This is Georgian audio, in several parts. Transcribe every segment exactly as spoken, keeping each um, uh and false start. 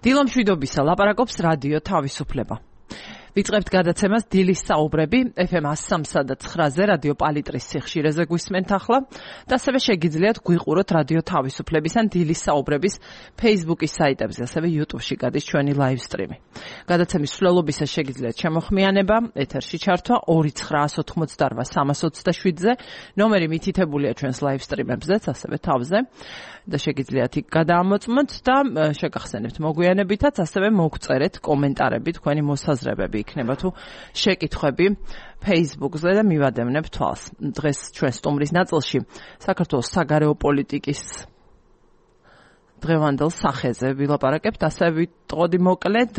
დილომშვიდობისა ლაპარაკობს რადიო თავისუფლება. ვიწყებთ გადაცემას დილის საუბრები ეფ ემ one oh three და nine-ზე რადიო პალიტრის სიხშირეზე გვისმენთ ახლა და ასევე შეგიძლიათ გვიყუროთ რადიო თავისუფლების ან დილის საუბრების Facebook-ის საიტებზე, ასევე YouTube-ში გადის ჩვენი live stream-ი. გადაცემის მსვლელობისას შეგიძლიათ შემოხმიანება, ეთერში ჩართვა two nine eight eight three three two seven-ზე, ნომერი მითითებულია ჩვენს live stream-ებზეც, ასევე თავზე. და შეგიძლიათ იქ გადაამოწმოთ და შეგახსენებთ მოგვიანებითაც, ასევე მოგწერეთ კომენტარები, თქვენი მოსაზრებები იქნება თუ შეკითხვები Facebook-ზე და მივადევნებ თვალს. დღეს ჩვენ სტუმრის ნაწილში საქართველოს საგარეო პოლიტიკის დღევანდელ სახეზე ვილაპარაკებთ, ასევე ვიტყოდი მოკლედ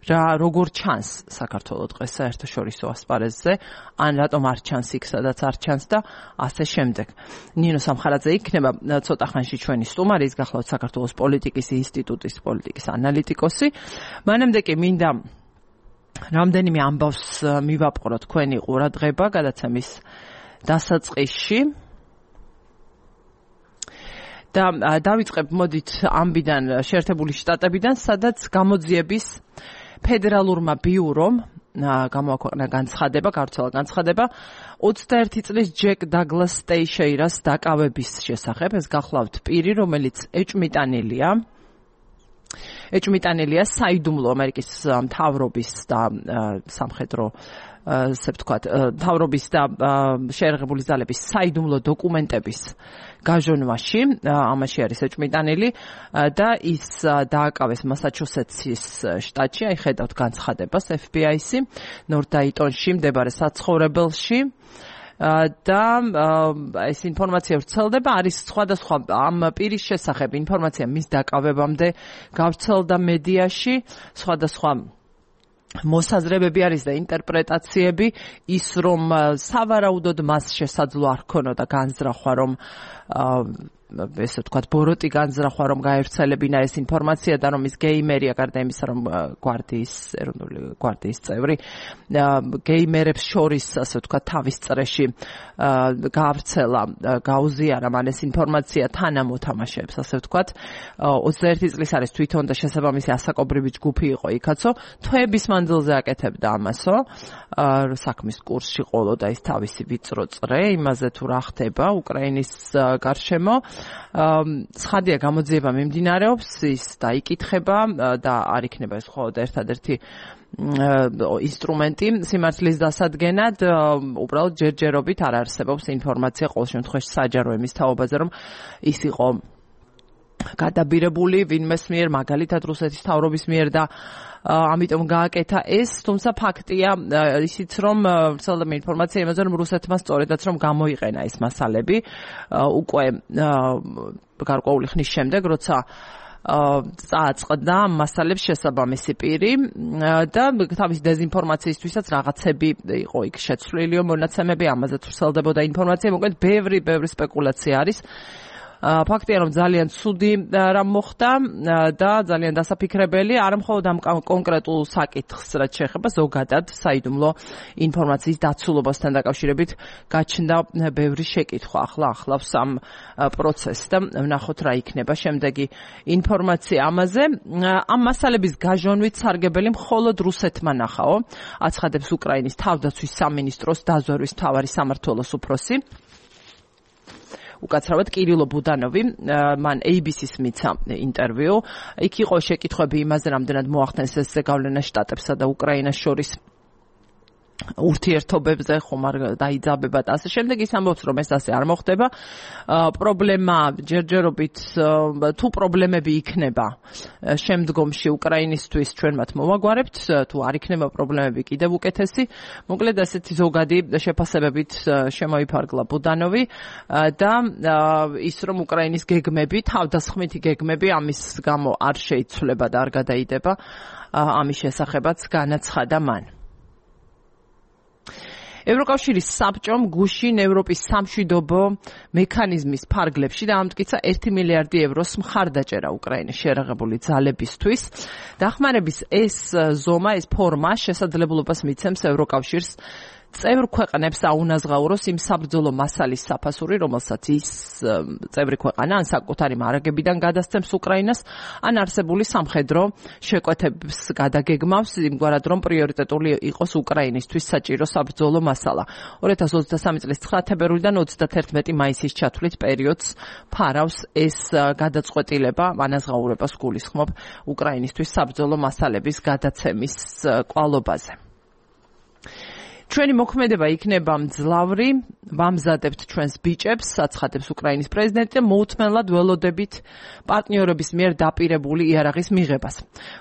რა როგორ ჩანს საქართველოს დღეს საერთაშორისო ასპარეზზე, ან რატომ არ ჩანს იქ, სადაც არ ჩანს და ასე შემდეგ. ნინო სამხარაძე იქნება ცოტა ხანში ჩვენი სტუმარი, ის გახლავთ საქართველოს პოლიტიკის ინსტიტუტის პოლიტიკის ანალიტიკოსი. მანამდე კი მინდა რამდენიმე ამბავს მივაპყრო თქვენი ყურადღება გადაცემის დასაწყისში. და დავიწყებ მოდით ამბიდან, შეერთებული შტატებიდან, სადაც გამოძიების ფედერალურმა ბიურომ გამოაქვეყნა განცხადება, გავრცელა განცხადება ოცდაერთი წლის ჯეკ დაგლას ტეიშეირას დაკავების შესახებ. ეს გახლავთ პირი, რომელიც ეჭვმიტანილია ეჭვმიტანილია საიდუმლო ამერიკის მთავრობის და სამხედრო ასე ვთქვათ, მთავრობის და შეერაღებული ძალების საიდუმლო დოკუმენტების გაჟონვაში, ამაში არის ეჭვმიტანილი და ის დააკავეს მასაჩუსეტსის შტატში, აი ხედავთ განცხადებას ეფ ბი აის-ი, ნორთ-დაიტონში მდებარე საცხოვრებელში. და ეს ინფორმაცია ვრცელდება, არის სხვადასხვა ამ პირის შესახებ ინფორმაცია მის დაკავებამდე გავრცელდა მედიაში, სხვადასხვა მოსაზრებები არის და ინტერპრეტაციები, ის რომ სავარაუდოდ მას შესაძლო არ ქონოდა განზრახვა, რომ ესე ვთქვათ, ბოროტი განზრახვა, რომ გაევრცელებინა ეს ინფორმაცია და რომ ის გეიმერია, გარდა იმისა, რომ გვარდიის ეროვნული გვარდიის წევრი, გეიმერებს შორის, ასე ვთქვათ, თავის წრეში გაავრცელა, გაუზიარა მან ეს ინფორმაცია თან ამოთამაშეებს, ასე ვთქვათ. ოცდაერთი წლის არის თვითონ და შესაბამისი ასაკობრივი ჯგუფი იყო იქაცო, თვეების მანძილზე აკეთებდა ამასო, საქმის კურსში ყოლოდა ის თავისი ვიწრო წრე, იმაზე თუ რა ხდება უკრაინის გარშემო. ცხადია, გამოძიება მიმდინარეობს, ის დაიკითხება და არ იქნება ეს მხოლოდ ერთადერთი ინსტრუმენტი სიმართლის დასადგენად, უბრალოდ ჯერჯერობით არ არსებობს ინფორმაცია ყოველ შემთხვევაში საჯარო ემის თაობაზე, რომ ის იყო გადაბირებული ვინმეს მიერ, მაგალითად რუსეთის მთავრობის მიერ და ამიტომ გააკეთა ეს, თუმცა ფაქტია ისიც, რომ ვრცელდება ინფორმაცია იმაზე, რომ რუსეთმა სწორედაც რომ გამოიყენა ეს მასალები უკვე გარკვეული ხნის შემდეგ, როცა წააწყდა მასალებს შესაბამისი პირი და თავის დეზინფორმაციისთვისაც რაღაცები იყო იქ შეცვლილი მონაცემები, ამაზე ვრცელდებოდა ინფორმაცია, მოკლედ ბევრი ბევრი სპეკულაცია არის. ფაქტია, რომ ძალიან ცუდი რამ მოხდა და ძალიან დასაფიქრებელი, არა მხოლოდ ამ კონკრეტულ საკითხს, რაც შეეხება ზოგადად საიდუმლო ინფორმაციის დაცულობასთან დაკავშირებით გაჩნდა ბევრი შეკითხვა. ახლა ახლავს ამ პროცესს და ვნახოთ რა იქნება შემდეგი ინფორმაცია ამაზე. ამ მასალების გაჟონვით სარგებელი მხოლოდ რუსეთმა ნახაო, აცხადებს უკრაინის თავდაცვის სამინისტროს დაზვერვის მთავარი სამმართველოს უფროსი. უკაცრავად კირილო ბუდანოვი, მან ეი ბი სი-ს მიცა ინტერვიუ. იქ იყო შეკითხვები იმაზე, რამდენად მოახდენს ეს ზეგავლენა შტატებსა და უკრაინას შორის ურთიერთობებზე, ხომ არ დაიძაბება და ასე შემდეგ. ის ამბობს, რომ ეს ასე არ მოხდება. პრობლემა ჯერჯერობით თუ პრობლემები იქნება შემდგომში უკრაინისთვის, ჩვენ მათ მოვაგვარებთ, თუ არ იქნება პრობლემები კიდევ უკეთესი. მოკლედ ასეთი ზოგადი შეფასებებით შემოიფარგლა ბუდანოვი და ის, რომ უკრაინის გეგმები, თავდასხმითი გეგმები ამის გამო არ შეიცვლება და არ გადაიდება, ამის შესახებაც განაცხადა მან. ევროკავშირის საბჭომ გუშინ ევროპის სამშვიდობო მექანიზმის ფარგლებში დაამტკიცა ერთი მილიარდი ევროს მხარდაჭერა უკრაინის შეერაღებული ძალებისთვის. დახმარების ეს ზომა, ეს ფორმა შესაძლებლობას მიცემს ევროკავშირს წევრ ქვეყნებს აუნაზღაუროს იმ საბრძოლო მასალის საფასური, რომელსაც ის წევრი ქვეყანა ან საკუთარი მარაგებიდან გადასცემს უკრაინას, ან არსებული სამხედრო შეკვეთების გადაგეგმავს, იმგვარად რომ პრიორიტეტული იყოს უკრაინისთვის საჭირო საბრძოლო მასალა. ორი ათას ოცდასამი წლის ცხრა თებერვლიდან ოცდათერთმეტი მაისის ჩათვლით პერიოდს ფარავს ეს გადაწყვეტილება, ანაზღაურებას გულისხმობ უკრაინისთვის საბრძოლო მასალების გადაცემის კვალობაზე. ჩვენი მოქმედება იქნება მძლავრი, ვამზადებთ ჩვენს ბიჭებს, აცხადებს უკრაინის პრეზიდენტი და მოუთმენლად ველოდებით პარტნიორების მიერ დაპირებული იარაღის მიღებას.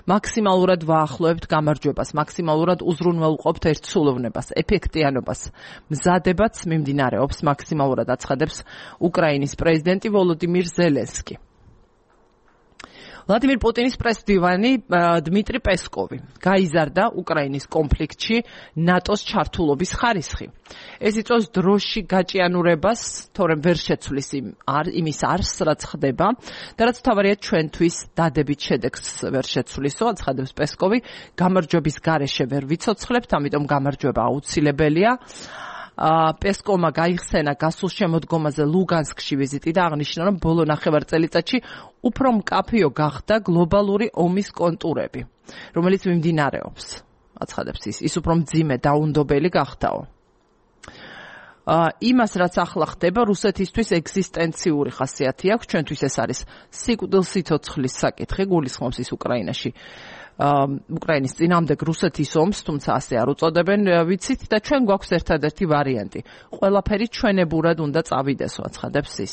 მაქსიმალურად ვაახლოებთ გამარჯვებას, მაქსიმალურად უზრუნველყოფთ ერთსულოვნებას, ეფექტიანობას. მზადებაც მიმდინარეობს, მაქსიმალურად აცხადებს უკრაინის პრეზიდენტი ვოლოდიმირ ზელენსკი. ვლადიმირ პუტინის პრესდივანი დმიტრი პესკოვი გაიზარდა უკრაინის კონფლიქტში ნატოს ჩართულობის ხარისხი. ეს იწვევს დროში გაჭიანურებას, თორემ ვერ შეცვლის იმის არსს, რაც ხდება და რაც თავარია ჩვენთვის დადებით შედეგს ვერ შეცვლისო, აცხადებს პესკოვი, გამარჯვების გარეშე ვერ ვიცოცხლებთ, ამიტომ გამარჯვება აუცილებელია. პესკოვმა გაიხსენა გასულ შემოდგომაზე ლუგანსკში ვიზიტი და აღნიშნა, რომ ბოლო ნახევარწელიწადში უფრო მკაფიო გახდა გლობალური ომის კონტურები, რომელიც მიმდინარეობს. აცხადებს ის, ის უფრო მძიმე დაუნდობელი გახდაო. იმას, რაც ახლა ხდება, რუსეთისთვის ეგზისტენციური ხასიათი აქვს, ჩვენთვის ეს არის სიკვდილსიცოცხლის საკითხი, გულისხმობს ის უკრაინაში. უკრაინის წინამდეგ რუსეთის ომს, თუმცა ასე არ უწოდებენ, ვიცით და ჩვენ გვაქვს ერთადერთი ვარიანტი. ყველაფერი ჩვენებურად უნდა წავიდესო, აცხადებს ის.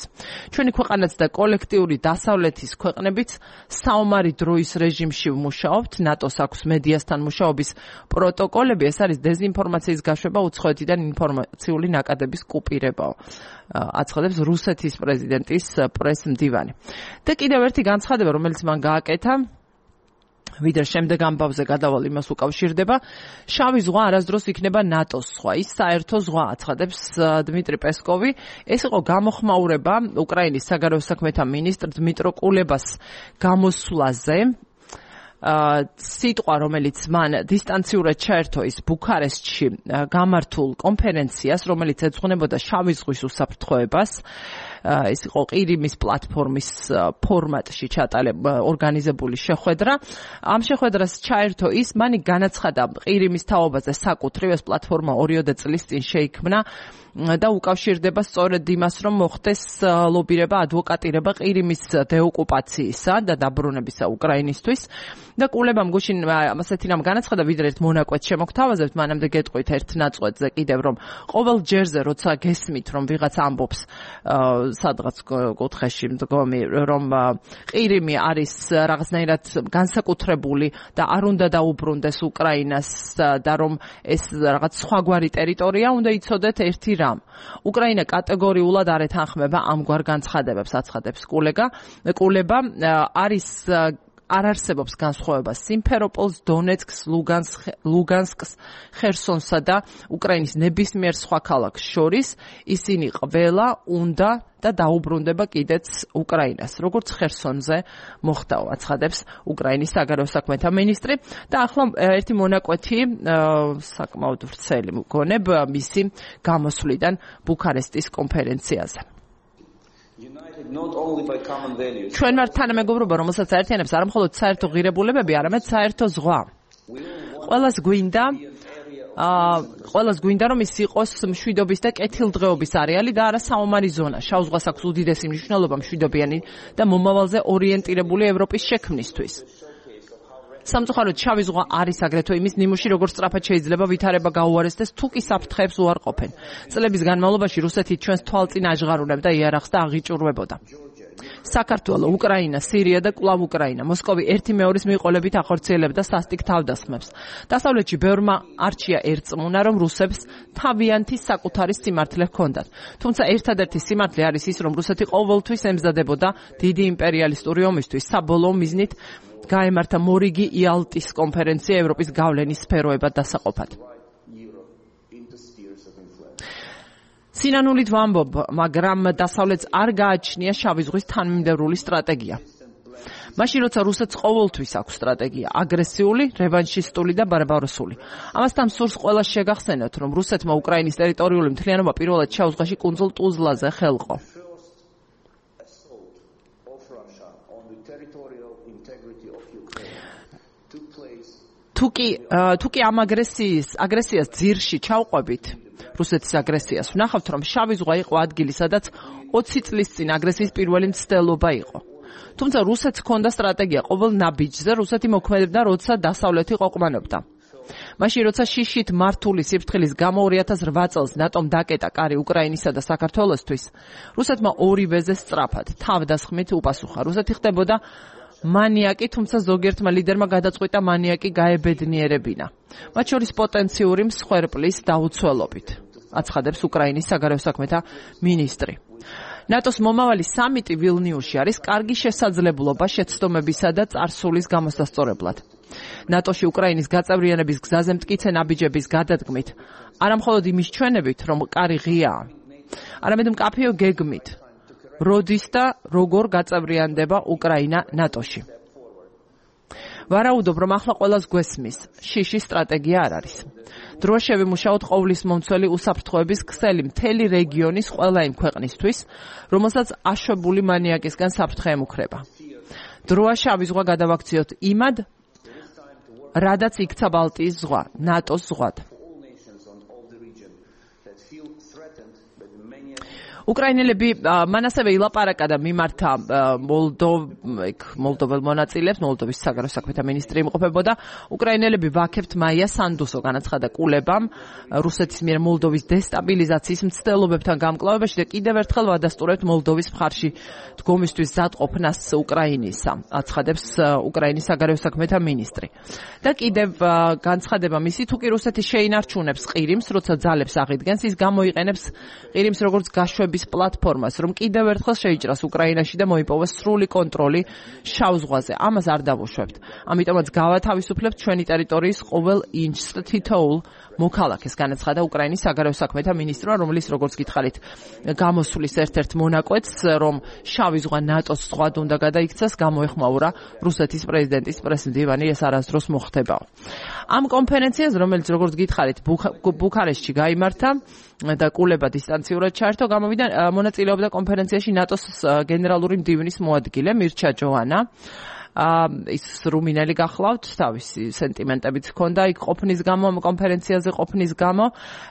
ჩვენი ქვეყანაც და კოლექტიური დასავლეთის ქვეყნებიც საომარი დროის რეჟიმში ვმუშაობთ, ნატოს აქვს მედიასთან მუშაობის პროტოკოლები, ეს არის დეზინფორმაციის გაშვება, უცხოეთიდან ინფორმაციული ნაკადების კუპირებაო. აცხადებს რუსეთის პრეზიდენტის პრესმდივანი. და კიდევ ერთი განცხადება, რომელიც მან გააკეთა, ვიდრე შემდეგ ამბავზე გადავალ იმას უკავშირდება, შავი ზღვა არასდროს იქნება ნატოს ზღვა, ის საერთო ზღვა, აცხადებს დმიტრი პესკოვი. ეს იყო გამოხმაურება უკრაინის საგარეო საქმეთა მინისტრ დმიტრო კულებას გამოსვლაზე. სიტყვა, რომელიც მან დისტანციურად ჩაერთო ის ბუქარესტში გამართულ კონფერენციას, რომელიც ეძღვნებოდა შავი ზღვის უსაფრთხოებას. ეს იყო ყირიმის პლატფორმის ფორმატში ორგანიზებული შეხვედრა. ამ შეხვედრას ჩაერთო ის, მანი განაცხადა ყირიმის თაობაზე საკუთრივ, ეს პლატფორმა ორიოდე წლის წინ შეიქმნა და უკავშირდება სწორედ იმას, რომ მოხდეს ლობირება, ადვოკატირება ყირიმის დეოკუპაციისა და დაბრუნებისა უკრაინისთვის. და კულებამ გუშინ ასეთი რამ განაცხადა, ვიდრე ერთ მონაკვეთს შემოგთავაზებთ, მანამდე გეტყვით ერთ ნაწყვეტზე კიდევ, რომ ყოველ ჯერზე, როცა გესმით, რომ ვიღაც ამბობს სადღაც კუთხეში მდგომი, რომ ყირიმი არის რაღაცნაირად განსაკუთრებული და არ უნდა დაუბრუნდეს უკრაინას და რომ ეს რაღაც სხვაგვარი ტერიტორია, უნდა იცოდეთ ერთი რამ. უკრაინა კატეგორიულად არ ეთანხმება ამგვარ განცხადებებს, აცხადებს კულეგა. კულება არის არ არსებობს განსხვავება სიმფეროპოლს, დონეცკს, ლუგანსკს, ხერსონსა და უკრაინის ნებისმიერ სხვა ქალაქს შორის. ისინი ყველა უნდა და დაუბრუნდება კიდეც უკრაინას, როგორც ხერსონზე მოხდაო, აცხადებს უკრაინის საგარეო საქმეთა მინისტრი. და ახლა ერთი მონაკვეთი საკმაოდ ვრცელი მგონებ მისი გამოსვლიდან ბუქარესტის კონფერენციაზე. ჩვენ ვართ თანამეგობრობა, რომელსაც აერთიანებს არა მხოლოდ საერთო ღირებულებები, არამედ საერთო ზღვა. ყველას გვინდა აა ყველას გვინდა რომ ის იყოს მშვიდობის და კეთილდღეობის არეალი და არა საომარი ზონა. შავ ზღვას აქვს უდიდესი მნიშვნელობა მშვიდობიანი და მომავალზე ორიენტირებული ევროპის შექმნისთვის. სამწუხაროდ შავი ზღვა არის აგრეთვე იმის ნიმუში, როგორც სწრაფად შეიძლება ვითარება გაუარესდეს თუ კი საფრთხეებს უარყოფენ. წლების განმავლობაში რუსეთი ჩვენს თვალწინ აჟღარულებდა იარაღს და აღიჭურვებოდა. საქართველო, უკრაინა, სირია და კვლავ უკრაინა. მოსკოვი ერთი მეორის მიყოლებით ახორციელებდა სასტიკ თავდასხმებს. დასავლეთში ბევრმა არჩია ერწმუნა, რომ რუსებს თავიანთი საკუთარი სიმართლე ჰქონდათ. თუმცა ერთადერთი სიმართლე არის ის, რომ რუსეთი ყოველთვის ემზადებოდა დიდი იმპერიალისტური ომისთვის. საბოლოო მიზნით გაემართა მორიგი იალტის კონფერენცია ევროპის გავლენის სფეროებად დასაყოფად. სინანულით ვამბობ, მაგრამ დასავლეთს არ გააჩნია შავი ზღვის თანმიმდევრული სტრატეგია. მაშინ როცა რუსეთს ყოველთვის აქვს სტრატეგია აგრესიული, რევანშისტული და ბარბაროსული. ამასთან სურს ყველას შეგახსენოთ, რომ რუსეთმა უკრაინის ტერიტორიული მთლიანობა პირველად შავ ზღვაში კუნძულ ტუზლაზე ხელყო. თუკი თუკი ამ აგრესიის აგრესიას ძირში ჩავყვებით, რუსეთის აგრესიას, ვნახავთ, რომ შავი ზღვა იყო ადგილი, სადაც ოცი წლის წინ აგრესიის პირველი მცდელობა იყო. თუმცა რუსეთს ჰქონდა სტრატეგია ყოველ ნაბიჯზე, რუსეთი მოქმედებდა, როცა დასავლეთი ყოყმანობდა. მაშინ როცა შიშით მართული სიფრთხილის გამო ორი ათას რვა წელს ნატომ დაკეტა კარი უკრაინისა და საქართველოსთვის, რუსეთმა ორივეზე სწრაფად, თავდასხმით უპასუხა. რუსეთი ხდებოდა მანიაკი, თუმცა ზოგიერთმა ლიდერმა გადაწყვიტა მანიაკი გაებედნიერებინა. მათ შორის პოტენციური მსხვერპლის დაუცველობით, აცხადებს უკრაინის საგარეო საქმეთა მინისტრი. ნატოს მომავალი სამიტი ვილნიუსში არის კარგი შესაძლებლობა შეცდომებისა და წარსულის გამოსასწორებლად. ნატოში უკრაინის გაწევრიანების გზაზე მტკიცე ნაბიჯების გადადგმით, არამხოლოდ იმის ჩვენებით, რომ კარი ღიაა, არამედ მკაფიო გეგმით, როდის და როგორ გაწევრიანდება უკრაინა ნატოში. ვარაუდობ, რომ ახლა ყველას გვესმის, შიშის სტრატეგია არ არის. დროა შევიმუშაოთ ყოვლის მომცველი უსაფრთხოების ქსელი მთელი რეგიონის ყველა იმ ქვეყნისთვის, რომელსაც აშვებული მანიაკისგან საფრთხე ემუქრება. დროა შავი ზღვა გადავაქციოთ იმად, რადაც იქცა ბალტიის ზღვა, ნატოს ზღვად. უკრაინელები მან ასევე ილაპარაკა და მიმართა მოლდოվել მონაწილეებს, მოლდოვის საგარეო საქმეთა მინისტრი იმყოფებოდა. უკრაინელები ვაქებთ მაია სანდუსო განაცხადა კულებამ რუსეთის მიერ მოლდოვის დესტაბილიზაციის მცდელობებთან გამკლავებაში და კიდევ ერთხელ ვადასტურებთ მოლდოვის მხარში დგომისთვის ზადყოფნას უკრაინისა, აცხადებს უკრაინის საგარეო საქმეთა მინისტრი. და კიდევ განცხადება მისი, თუკი რუსეთი შეინარჩუნებს ყირიმს, როცა ძალებს აღიდგენს, ის გამოიყენებს ყირიმს როგორც გაშვების პლატფორმას, რომ კიდევ ერთხელ შეიჭრას უკრაინაში და მოიპოვოს სრული კონტროლი შავ ზღვაზე. ამას არ დავუშვებთ. ამიტომაც გავათავისუფლებთ ჩვენი ტერიტორიის ყოველ ინჩს თითოეულ მოქალაქეს, განაცხადა უკრაინის საგარეო საქმეთა მინისტრმა, რომელიც როგორც გითხარით, გამოსulis ერთ-ერთ მონაკვეთს, რომ შავი ზღვა ნატოს ზღვად უნდა გადაიქცეს, გამოეხმაურა რუსეთის პრეზიდენტის პრესმდივანი, ეს არასდროს მოხდებაო. ამ კონფერენციაზე, რომელიც როგორც გითხარით, ბუქარესტში გაიმართა და კულება დისტანციურად ჩაერთო, გამოვიდა მონაწილეობდა კონფერენციაში ნატოს გენერალური მდივნის მოადგილე მირჩა ჯოანა. ის რუმინელი გახლავთ, თავისი სენტიმენტებიც ჰქონდა იქ ყოფნის გამო, ამ კონფერენციაზე ყოფნის გამო.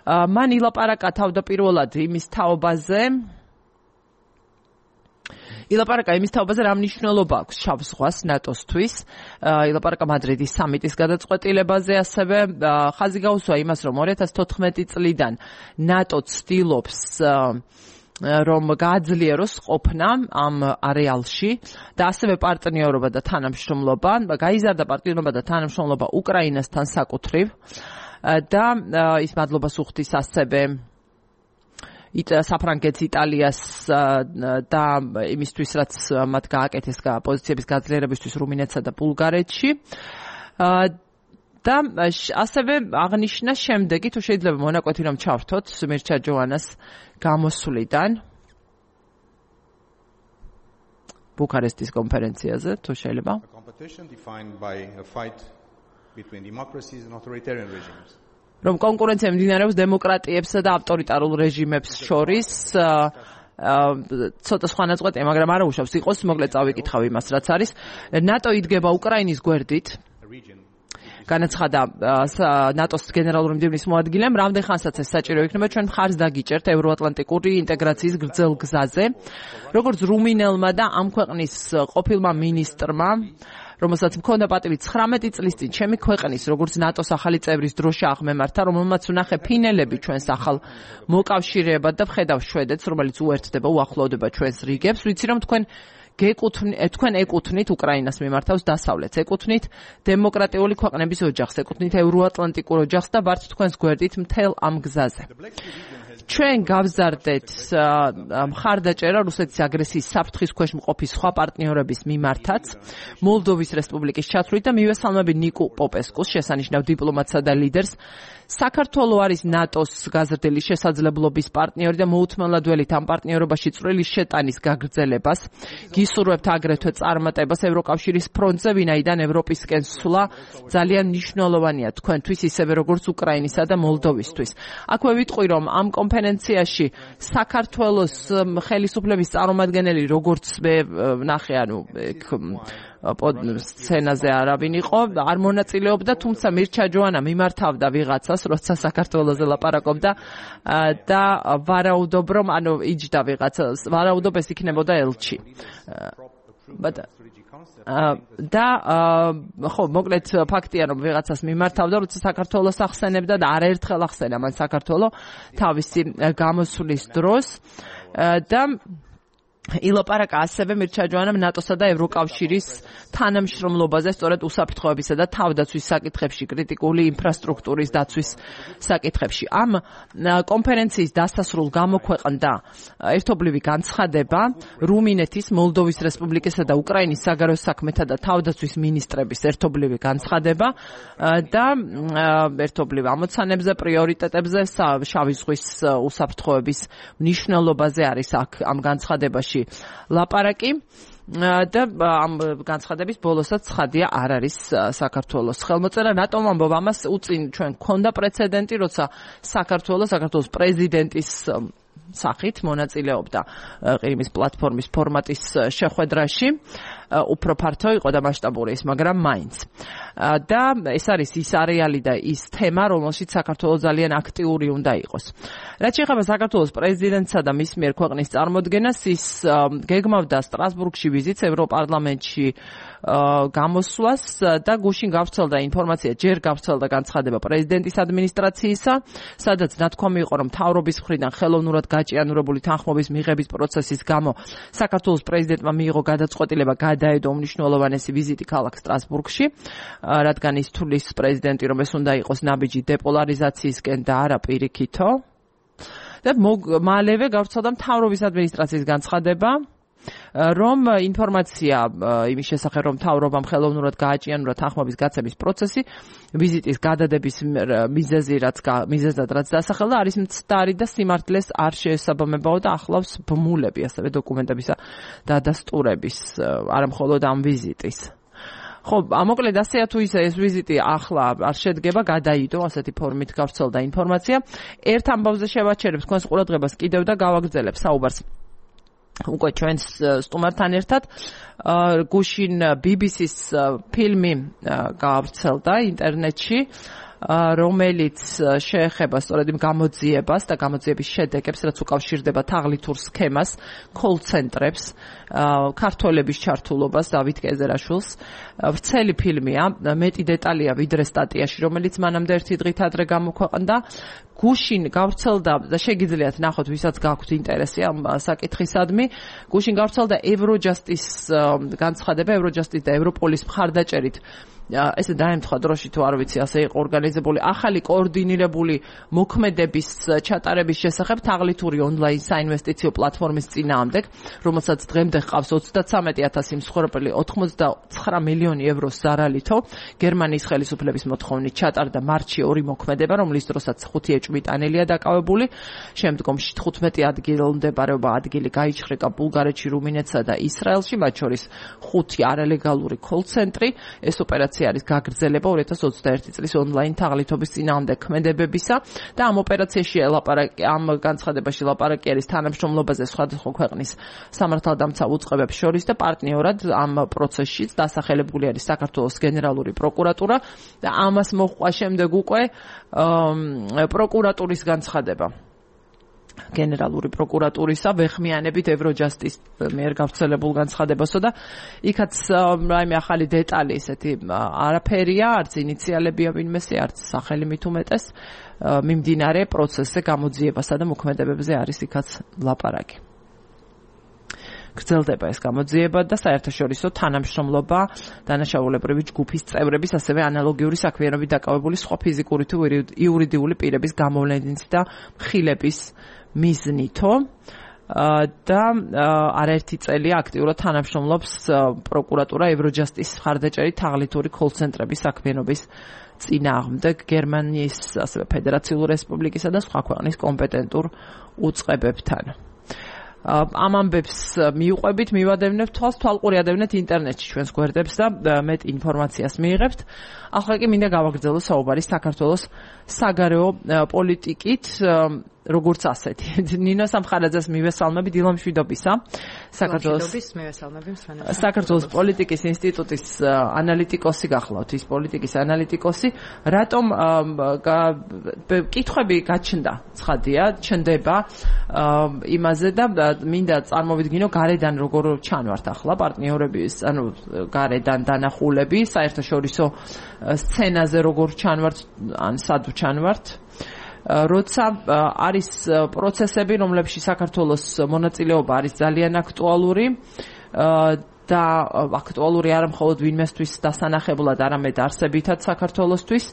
მან ილაპარაკა თავდაპირველად იმის თაობაზე, ილაპარაკა იმის თაობაზე, რა მნიშვნელობა აქვს შავ ზღვას ნატოსთვის. ილაპარაკა მადრიდის სამიტის გადაწყვეტილებაზე, ასევე ხაზი გაუსვა იმას, რომ ორი ათას თოთხმეტი წლიდან ნატო ცდილობს რომ გააძლიეროს ყოფნა ამ არეალში და ასევე პარტნიორობა და თანამშრომლობა, გაიზარდა პარტნიორობა და თანამშრომლობა უკრაინასთან საკუთრივ და ის მადლობას უხდის ასევე საფრანგეთს, იტალიას და იმისთვის, რაც მათ გააკეთეს პოზიციების გაძლიერებისთვის რუმინეთსა და ბულგარეთში. და ასევე აღნიშნა შემდეგი, თუ შეიძლება მონაკვეთი რომ ჩავრთოთ მირჩა ჯოანას გამოსვლიდან ბუქარესტის კონფერენციაზე, თუ შეიძლება. რომ კონკურენცია მიმდინარეობს დემოკრატიებსა და ავტორიტარულ რეჟიმებს შორის, ცოტა სხვა ნაწყვეტია, მაგრამ არა უშავს იყოს, მოკლედ წავიკითხავ იმას, რაც არის. ნატო იდგება უკრაინის გვერდით. განაცხადა ნატოს გენერალური მდივნის მოადგილემ, რამდენ ხანსაც ეს საჭირო იქნება, ჩვენ მხარს დაგიჭერთ ევროატლანტიკური ინტეგრაციის გრძელ გზაზე. როგორც რუმინელმა და ამ ქვეყნის ყოფილმა მინისტრმა, რომელსაც მქონდა პატივი ცხრამეტი წლის წინ ჩემი ქვეყნის, როგორც ნატოს ახალი წევრის დროშა აღმემართა, რომელმაც უნახე ფინელები ჩვენს ახალ მოკავშირეებად და ვხედავ შვედეთს, რომელიც უერთდება, უახლოვდება ჩვენს რიგებს, ვიცი რომ თქვენ თქვენ ეკუთვნით უკრაინას მიმართავს დასავლეთს, ეკუთვნით დემოკრატიული ქვეყნების ოჯახს, ეკუთვნით ევროატლანტიკურ ოჯახს და ვართ თქვენს გვერდით მთელ ამ გზაზე. ჩვენ გავზარდეთ მხარდაჭერა რუსეთის აგრესიის საფრთხის ქვეშ მყოფი სხვა პარტნიორების მიმართაც, მოლდოვის რესპუბლიკის ჩათვლით და მივესალმები ნიკო პოპესკუს, შესანიშნავ დიპლომატსა და ლიდერს, საქართველო არის ნატოს გაზრდილი შესაძლებლობის პარტნიორი და მოუთმენლად ველით ამ პარტნიორობაში წვრილი შეტანის გაგრძელებას. გისურვებთ აგრეთვე წარმატებას ევროკავშირის ფრონტზე, ვინაიდან ევროპისკენ სვლა ძალიან მნიშვნელოვანია თქვენთვის, ისევე როგორც უკრაინისა და მოლდოვისთვის. აქვე ვიტყვი, რომ ამ კონფერენციაში საქართველოს ხელისუფლების წარმომადგენელი, როგორც მე ვნახე, ანუ სცენაზე არავინ იყო, არ მონაწილეობდა, თუმცა მირჩა ჯოანა მიმართავდა ვიღაცას, როცა საქართველოზე ლაპარაკობდა და ვარაუდობ, რომ ანუ იჯდა ვიღაცას, ვარაუდობ ეს იქნებოდა ელჩი. და ხო, მოკლედ ფაქტია, რომ ვიღაცას მიმართავდა, როცა საქართველოს ახსენებდა და არაერთხელ ახსენა მან საქართველო თავისი გამოსვლის დროს და ილაპარაკა ასევე მირჩა ჯოანამ ნატოსა და ევროკავშირის თანამშრომლობაზე, სწორედ უსაფრთხოებისა და თავდაცვის საკითხებში, კრიტიკული ინფრასტრუქტურის დაცვის საკითხებში. ამ კონფერენციის დასასრულ გამოქვეყნდა ერთობლივი განცხადება რუმინეთის, მოლდოვის რესპუბლიკისა და უკრაინის საგარეო საქმეთა და თავდაცვის მინისტრების ერთობლივი განცხადება და ერთობლივ ამოცანებზე, პრიორიტეტებზე, შავი ზღვის უსაფრთხოების მნიშვნელობაზე არის აქ ამ განცხადებაში ლაპარაკი და ამ განცხადების ბოლოსაც ცხადია არ არის საქართველოს ხელმოწერა. რატომ ამბობ ამას? უწინ ჩვენ გქონდა პრეცედენტი, როცა საქართველოს საქართველოს პრეზიდენტის სახით მონაწილეობდა ყირიმის პლატფორმის ფორმატის შეხვედრაში. უფრო ფართო იყო და მასშტაბური ის, მაგრამ მაინც. და ეს არის ის არეალი და ის თემა, რომელშიც საქართველოს ძალიან აქტიური უნდა იყოს. რაც შეეხება საქართველოს პრეზიდენტსა და მის მიერ ქვეყნის წარმოდგენას, ის გეგმავდა სტრასბურგში ვიზიტს ევროპარლამენტში გამოსვლას და გუშინ გავრცელდა ინფორმაცია, ჯერ გავრცელდა განცხადება პრეზიდენტის ადმინისტრაციისა, სადაც ნათქვამი იყო, რომ მთავრობის მხრიდან ხელოვნურად გაჭიანურებული თანხმობის მიღების პროცესის გამო საქართველოს პრეზიდენტმა მიიღო გადაწყვეტილება გადაედო უმნიშვნელოვანესი ვიზიტი ქალაქ სტრასბურგში, რადგან ის თulis პრეზიდენტი, რომ ეს უნდა იყოს ნაბიჯი დეპოლარიზაციისკენ და არა პირიქითო. და მალევე გავრცელდა მთავრობის ადმინისტრაციის განცხადება, რომ ინფორმაცია იმის შესახებ, რომ მთავრობამ ხელოვნურად გააჭიანურა თანხმობის გაცემის პროცესი, ვიზიტის გადადების მიზეზი, რაც მიზეზად რაც დასახელდა, არის მცდარი და სიმართლეს არ შეესაბამებაო და ახლავს ბმულები, ასევე დოკუმენტებისა და დადასტურების, არა მხოლოდ ამ ვიზიტის. ხო, მოკლედ ასეა თუ ისე ეს ვიზიტი ახლა არ შედგება, გადაიდო, ასეთი ფორმით გავრცელდა ინფორმაცია. ერთ ამბავზე შევაჩერებ თქვენს ყურადღებას კიდევ და გავაგრძელებ საუბარს უკვე ჩვენს სტუმართან ერთად. გუშინ ბი ბი სის ფილმი გავრცელდა ინტერნეტში, რომელიც შეეხება სწორედ იმ გამოძიებას და გამოძიების შედეგებს, რაც უკავშირდება თაღლითურ სქემას, კოლ-ცენტრებს, ქართველების ჩართულობას, დავით კეზერაშვილს. ვრცელი ფილმია, მეტი დეტალია ვიდრე სტატიაში, რომელიც მანამდე ერთი დღით ადრე გამოქვეყნდა. გუშინ გავრცელდა და შეგიძლიათ ნახოთ, ვისაც გაქვთ ინტერესი ამ საკითხისადმი, გუშინ გავრცელდა ევროჯასტის განცხადება, ევროჯასტის და ევროპოლის მხარდაჭერით. ესე დაემთხვა დროში თუ არ ვიცი, ასე იყო ორგანიზებული ახალი კოორდინირებული მოქმედების ჩატარების შესახებ თაღლითური ონლაინ საინვესტიციო პლატფორმის წინააღმდეგ, რომელსაც დღემდე ჰყავს ოცდათსამეტი ათასი მსხვერპლი, ოცდათვრამეტი მილიონი ევროს ზარალითო. გერმანიის ხელისუფლების მოთხოვნით ჩატარდა მარტში ორი მოქმედება, რომლის დროსაც ხუთი ეჭვმიტანელია დაკავებული. შემდგომში თხუთმეტი ადგილმდებარეობა ადგილი გაიჩხრეკა ბულგარეთში, რუმინეთსა და ისრაელში, მათ შორის ხუთი არალეგალური კოლ-ცენტრი. ეს ოპერაცია არის გაგრძელება ორი ათას ოცდაერთი წლის ონლაინ თაღლითობის წინააღმდეგ ქმედებებისა და ამ ოპერაციაში ლაპარაკი, ამ განცხადებაში ლაპარაკი არის თანამშრომლობაზე სხვადასხვა ქვეყნის სამართალდამცავ უწყებებს შორის და პარტნიორად ამ პროცესშიც დასახელებული არის საქართველოს გენერალური პროკურატურა და ამას მოჰყვა შემდეგ უკვე პროკურატურის განცხადება. გენერალური პროკურატურისა ვეხმიანებით ევროჯასტის მიერ გავრცელებულ განცხადებასო და იქაც რაიმე ახალი დეტალი ესეთი არაფერია, არც ინიციალებია ვინმესე, არც სახელი მით უმეტეს მიმდინარე პროცესზე გამოძიებასა და მოქმედებებზე არის იქაც ლაპარაკი. გრძელდება ეს გამოძიება და საერთაშორისო თანამშრომლობა დანაშაულებრივი ჯგუფის წევრების, ასევე ანალოგიური საქმიანობით დაკავებული სხვა ფიზიკური თუ იურიდიული პირების გამოვლენით და მხილების მიზნითო და არაერთი წელია აქტიურად თანამშრომლობს პროკურატურა ევროჯასტის მხარდაჭერით თაღლითური კოლ-ცენტრების საქმიანობის წინააღმდეგ გერმანიის, ასევე ფედერაციული რესპუბლიკისა და სხვა ქვეყნის კომპეტენტურ უწყებებთან. ამ ამბებს მიუყვებით, მივადევნებთ თვალს, თვალყური ადევნეთ ინტერნეტში ჩვენს გვერდებს და მეტ ინფორმაციას მიიღებთ. ახლა კი მინდა გავაგრძელო საუბარი საქართველოს საგარეო პოლიტიკით, როგორც ასეთი. ნინო სამხარაძეს მივესალმები, დილა მშვიდობისა. საქართველოს მივესალმები მსმენელს. საქართველოს პოლიტიკის ინსტიტუტის ანალიტიკოსი გახლავთ, ის პოლიტიკის ანალიტიკოსი. რატომ კითხვები გაჩნდა, ცხადია, ჩნდება იმაზე და მინდა წარმოვიდგინო გარედან როგორ ჩანვართ ახლა პარტნიორების, ანუ გარედან დანახულები, საერთაშორისო სცენაზე როგორ ჩანვართ, ან სად ჩანვართ. როცა არის პროცესები, რომლებშიც საქართველოს მონაწილეობა არის ძალიან აქტუალური და აქტუალური არა მხოლოდ ვინმესთვის დასანახებლად, არამედ არსებითად საქართველოსთვის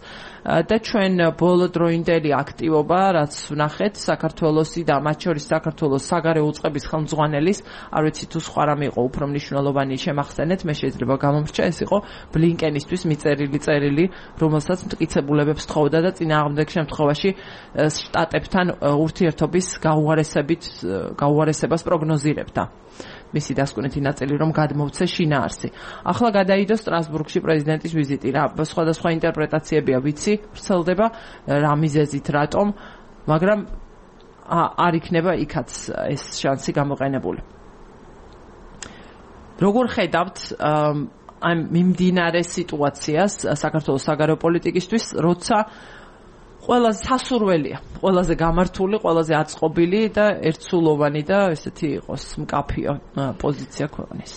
და ჩვენ ბოლოდროინდელი აქტივობა, რაც ვნახეთ საქართველოსი და მათ შორის საქართველოს საგარეო უწყების ხელმძღვანელის, არ ვიცი თუ სხვა რამე იყო უფრო მნიშვნელოვანი შემახსენეთ, მე შეიძლება გამომრჩა, ეს იყო ბლინკენისთვის მიწერილი წერილი, რომელსაც მტკიცებულებებს თხოვდა და წინააღმდეგ შემთხვევაში შტატებთან ურთიერთობის გაუარესებით გაუარესებას პროგნოზირებდა. მისი დასკვნითი ნაწილი რომ გადმოვცე შინაარსი. ახლა გადაიდო სტრასბურგში პრეზიდენტის ვიზიტი. რა სხვადასხვა ინტერპრეტაციებია ვიცი, ვრცელდება რა მიზეზით, რატომ, მაგრამ არ იქნება იქაც ეს შანსი გამოყენებული. როგორ ხედავთ ამ მიმდინარე სიტუაციას საქართველოს საგარეო პოლიტიკისთვის, როცა ყველაზე სასურველია, ყველაზე გამართული, ყველაზე აწყობილი და ერთსულოვანი და ესეთი იყოს მკაფიო პოზიცია ქვეყნის.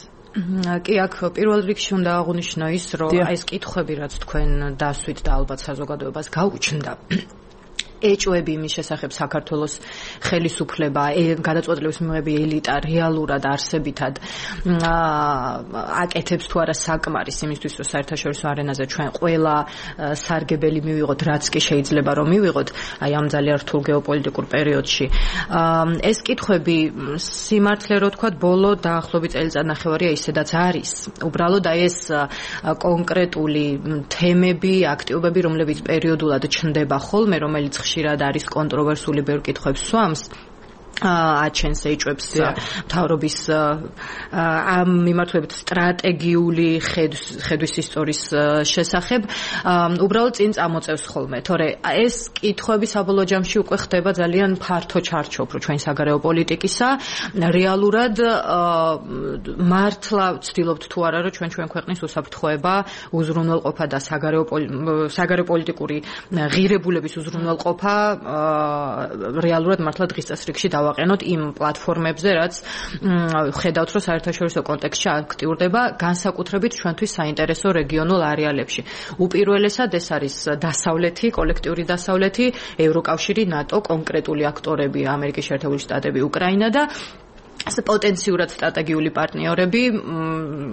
კი, აქ პირველ რიგში უნდა აღვნიშნო ის, რომ აი ეს კითხვები, რაც თქვენ დასვით და ალბათ საზოგადოებას გაუჩნდა, ეჭვები იმის შესახებ საქართველოს ხელისუფლება, გადაწყვეტილების მიღები ელიტა რეალურად არსებითად აკეთებს თუ არა საკმარის იმისთვის, რომ საერთაშორისო არენაზე ჩვენ ყველა სარგებელი მივიღოთ, რაც კი შეიძლება რომ მივიღოთ, აი ამ ძალიან რთულ გეოპოლიტიკურ პერიოდში. ეს კითხვები სიმართლე რო თქვა, ბოლო დაახლოებით წელიწადნახევარია ისედაც არის. უბრალოდ აი ეს კონკრეტული თემები, აქტივობები, რომლებიც პერიოდულად ჩნდება ხოლმე, რომელიც ხშირად არის კონტროვერსული, ბევრ კითხვებს სვამს, აჩენს ეჭვებს მთავრობის ამ მიმართულებით სტრატეგიული ხედვის ისტორიის შესახებ, უბრალოდ წინ წამოწევს ხოლმე, თორე ეს კითხვები საბოლოო ჯამში უკვე ხდება ძალიან ფართო ჩარჩოფრო ჩვენ საგარეო პოლიტიკისა. რეალურად მართლა ვცდილობთ თუ არა, რომ ჩვენ ჩვენ ქვეყნის უსაფრთხოება, უზრუნველყოფა და საგარეო საგარეო პოლიტიკური ღირებულების უზრუნველყოფა რეალურად მართლა დღის წესრიგში დავაყენოთ იმ პლატფორმებზე, რაც ხედავთ, რომ საერთაშორისო კონტექსტში აქტიურდება, განსაკუთრებით ჩვენთვის საინტერესო რეგიონულ არეალებში. უპირველესად ეს არის დასავლეთი, კოლექტიური დასავლეთი, ევროკავშირი, ნატო, კონკრეტული აქტორები, ამერიკის შეერთებული შტატები, უკრაინა და პოტენციურად სტრატეგიული პარტნიორები,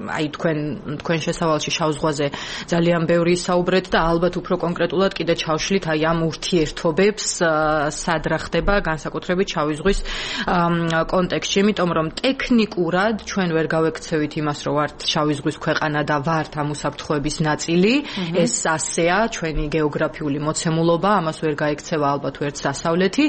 აი თქვენ თქვენ შესავალში შავ ზღვაზე ძალიან ბევრი საუბრეთ და ალბათ უფრო კონკრეტულად კიდე ჩავშლით აი ამ ურთიერთობებს, სად რა ხდება განსაკუთრებით შავი ზღვის კონტექსტში, იმიტომ რომ ტექნიკურად ჩვენ ვერ გავექცევით იმას, რომ ვართ შავი ზღვის ქვეყანა და ვართ ამ უსაფრთხოების ნაწილი, ეს ასეა ჩვენი გეოგრაფიული მოცემულობა, ამას ვერ გაექცევა ალბათ ვერც დასავლეთი,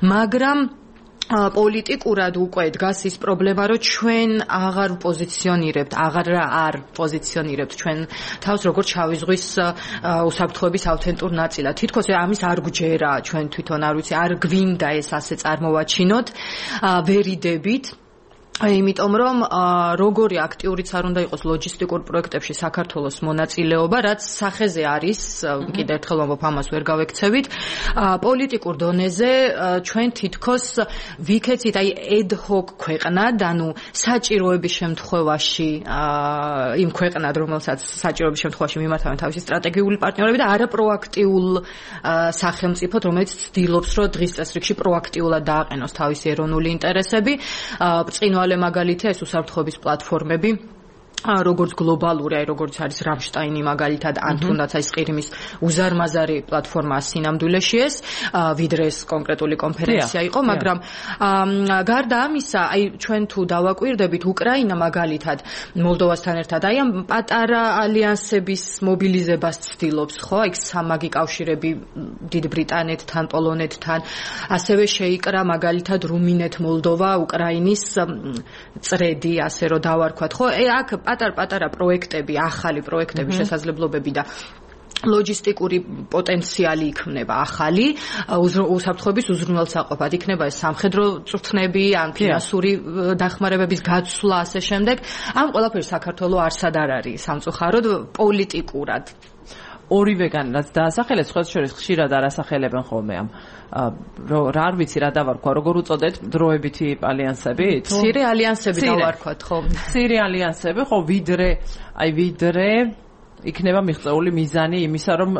მაგრამ პოლიტიკურად უკვე დგას ის პრობლემა, რომ ჩვენ აღარ პოზიციონირებთ, აღარ არ პოზიციონირებთ ჩვენ თავს როგორც შავი ზღვის უსაფრთხოების ავთენტურ ნაწილად. თითქოს ამის არ გვჯერა ჩვენ თვითონ, არ ვიცი, არ გვინდა ეს ასე წარმოვაჩინოთ, ვერიდებით. იმიტომ რომ როგორი აქტიურიც არ უნდა იყოს ლოჯისტიკურ პროექტებში საქართველოს მონაწილეობა, რაც სახეზე არის, კიდევ ერთხელ ვამბობ, ამას ვერ გავექცევით. პოლიტიკურ დონეზე ჩვენ თითქოს ვიქეცით აი ad-hoc ქვეყნად, ანუ საჭიროების შემთხვევაში იმ ქვეყნად, რომელსაც საჭიროების შემთხვევაში მიმართავენ თავისი სტრატეგიული პარტნიორები და არა პროაქტიულ სახელმწიფოდ, რომელიც ცდილობს, რომ დღის წესრიგში პროაქტიულად დააყენოს თავისი ეროვნული ინტერესები. წინვალე მაგალითია ეს უსაფრთხოების პლატფორმები, როგორც გლობალური, აი როგორც არის რამშტაინი მაგალითად, ან თუნდაც აი ყირიმის უზარმაზარი პლატფორმა სინამდვილეში ეს, ვიდრე ეს კონკრეტული კონფერენცია იყო, მაგრამ გარდა ამისა, აი ჩვენ თუ დავაკვირდებით, უკრაინა მაგალითად მოლდოვასთან ერთად აი ამ პატარა ალიანსების მობილიზებას ცდილობს, ხო? აი სამაგი კავშირები დიდ ბრიტანეთთან, პოლონეთთან, ასევე შეიკრა მაგალითად რუმინეთ, მოლდოვა, უკრაინის წრედი, ასე რომ დავარქვათ, ხო? აქ პატარ-პატარა პროექტები, ახალი პროექტები, შესაძლებლობები და ლოჯისტიკური პოტენციალი იქნება ახალი, უსაფრთხოების უზრუნველსაყოფად იქნება ეს სამხედრო წვრთნები, ან ფინანსური დახმარებების გაცვლა, ასე შემდეგ. ამ ყველაფერს საქართველოს არსად არ არის სამწუხაროდ პოლიტიკურად. ორივეგან რაც დაასახელეს, სხვა შორის ხშირად არასახელებენ ხოლმე ამ რა არ ვიცი რა დავარქვა, როგორ უწოდეთ დროებითი ალიანსები? მცირე ალიანსები დავარქვათ, ხო? მცირე ალიანსები, ხო, ვიდრე, აი ვიდრე იქნება მიღწეული მიზანი იმისა, რომ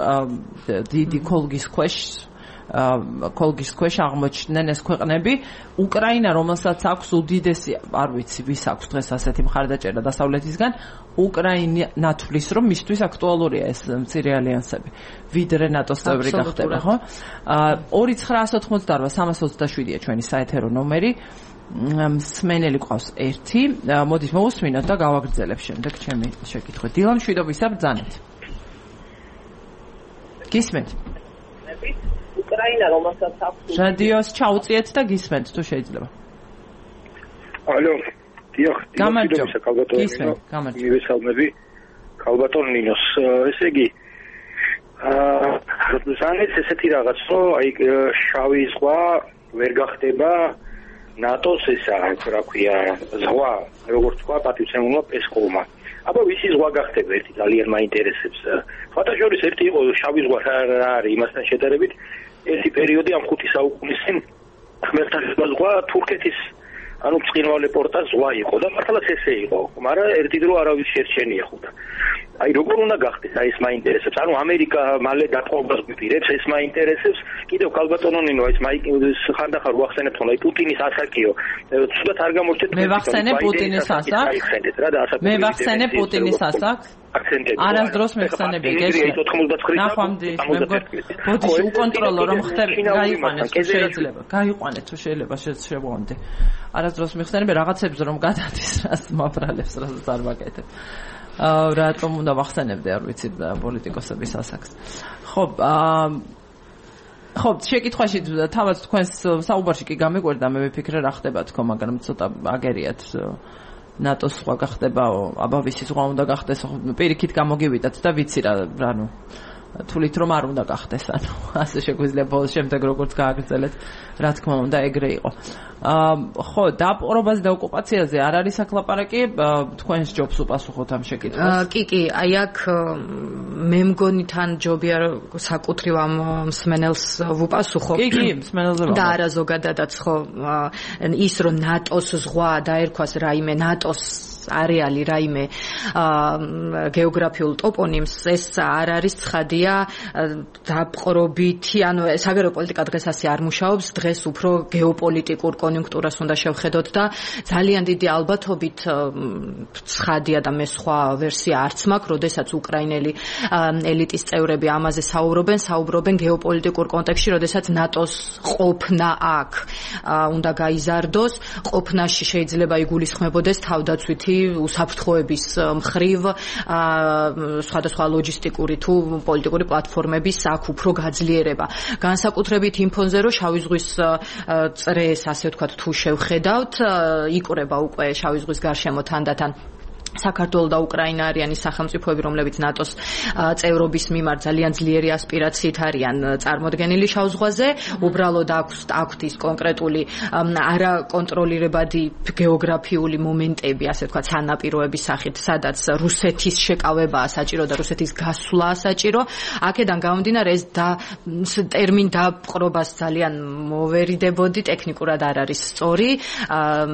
დიდი ქოლგის ქვეშ ქოლგის ქვეშ აღმოჩნდნენ ეს ქვეყნები. უკრაინა, რომელსაც აქვს უდიდესი, არ ვიცი, ვის აქვს დღეს ასეთი მხარდაჭერა დასავლეთისგან, უკრაინა თვლის, რომ მისთვის აქტუალურია ეს მცირე ალიანსები, ვიდრე ნატოს წევრი გახდება, ხო? ორი ცხრა ოცდაოთხმოცდაორვა სამას ოცდაშვიდია ჩვენი საეთერო ნომერი. მსმენელი ყავს ერთი. მოდით მოვუსმინოთ და გავაგრძელებ შემდეგ ჩემი შეკითხვა. დილა მშვიდობისა, ბრძანეთ. გისმენთ? უკრაინა, რომელსაც აქვს რადიოს ჩაუწიეთ და გისმენთ თუ შეიძლება. ალო, დიახ, გამარჯობა. გისმენთ, გამარჯობა. მივესალმები ქალბატონ ნინოს. ესე იგი, აა, ზანეთ ესეთი რაღაც, რომ აი შავი ზღვა ვერ გახდება ნატოს ესა, რა ქვია, ზღვა, როგორც თქვა პატივცემულმა პესკოვმა. აბა ვისი ზღვა გახდება, ერთი ძალიან მაინტერესებს. ფოტოშორის ერთი იყო შავი ზღვა რა არის იმასთან შედარებით, ერთი პერიოდი ამ ხუთი საუკუნის წინ ხმელთაშუა ზღვა თურქეთის ანუ ბრწყინვალე პორტა ზღვა იყო და მართლაც ესე იყო, მაგრამ ერთი დრო არავის შერჩენია ხუთა. აი როგორ უნდა გახდეს, აი ეს მაინტერესებს. ანუ ამერიკა მალე დათხოვებას გვიპირებს, ეს მაინტერესებს. კიდევ ქალბატონო ნინო, ეს მაინტერესებს ხანდახან ვახსენებთ, რომ აი პუტინის ასაკიო, ცუდად არ გამორჩეთ. მე ვახსენებ პუტინის ასაკს. მე ვახსენებ პუტინის ასაკს. არასდროს მეხსენები გეშლე. ნახვამდის, მე მგონი, ბოდიში უკონტროლო რომ ხდება, გაიყვანეთ თუ შეიძლება. გაიყვანეთ თუ შეიძლება შეგვამდე. არასდროს მეხსენები რაღაცებს რომ გადადის, რას მაბრალებს, რასაც არ ვაკეთებ. აა რატომ უნდა ვახსენებდე, არ ვიცი, პოლიტიკოსების ასაკს. ხო, აა ხო, შეკითხვაში თავად თქვენს საუბარში კი გამიკვირდა, მე ვიფიქრე რა ხდება თქო, მაგრამ ცოტა აგერიათ ნატოს სხვა გახდებაო, აბა ვისი სხვა უნდა გახდეს, პირიქით გამოგივიდათ და ვიცი რა, ანუ თulit რომ არ უნდა გახდეს, ანუ ასე შეგვიძლია ბოლოს შემდეგ როგორც გააგრძელეთ, რა თქმა უნდა ეგრე იყო. აა ხო, დაპყრობაზე და ოკუპაციაზე არ არის საკლაპარაკი, თქვენს ჯობს უპასუხოთ ამ შეკითხვას. კი, კი, აი აქ მე მგონი თან ჯობია საკუთრივ ამ მსმენელს ვუპასუხო. კი, კი, მსმენელზე და არა ზოგადადაც ხო, ის რომ ნატოს ზღვა დაერქვას რაიმე ნატოს არეალი რაიმე გეოგრაფიულ ტოპონიმს, ეს არ არის ცხადია დაპყრობითი, ანუ საგარეო პოლიტიკა დღეს ასე არ მუშაობს, დღეს უფრო გეოპოლიტიკურ კონიუნქტურას უნდა შევხედოთ და ძალიან დიდი ალბათობით ცხადია და მე სხვა ვერსია არც მაქვს, როდესაც უკრაინელი ელიტის წევრები ამაზე საუბრობენ, საუბრობენ გეოპოლიტიკურ კონტექსტში, როდესაც ნატოს ყოფნა აქ უნდა გაიზარდოს, ყოფნაში შეიძლება იგულისხმებოდეს თავდაცვითი უსაფრთხოების მხრივ სხვადასხვა ლოჯისტიკური თუ პოლიტიკური პლატფორმების აქ უფრო გაძლიერება. განსაკუთრებით იმ ფონზე, რომ შავი ზღვის წრეს, ასე ვთქვათ, თუ შევხედავთ, იკვრება უკვე შავი ზღვის გარშემო თანდათან საქართველო და უკრაინა არიან ის სახელმწიფოები, რომლებიც ნატოს წევრობის მიმართ ძალიან ძლიერი ასპირაციით არიან წარმოდგენილი შავ ზღვაზე. უბრალოდ აქვს აქვთ ის კონკრეტული არაკონტროლირებადი გეოგრაფიული მომენტები, ასე ვთქვათ, სანაპიროების სახით, სადაც რუსეთის შეკავებაა საჭირო და რუსეთის გასვლაა საჭირო. აქედან გამომდინარე ეს და ტერმინ დაპყრობას ძალიან მოვერიდებოდი, ტექნიკურად არ არის სწორი.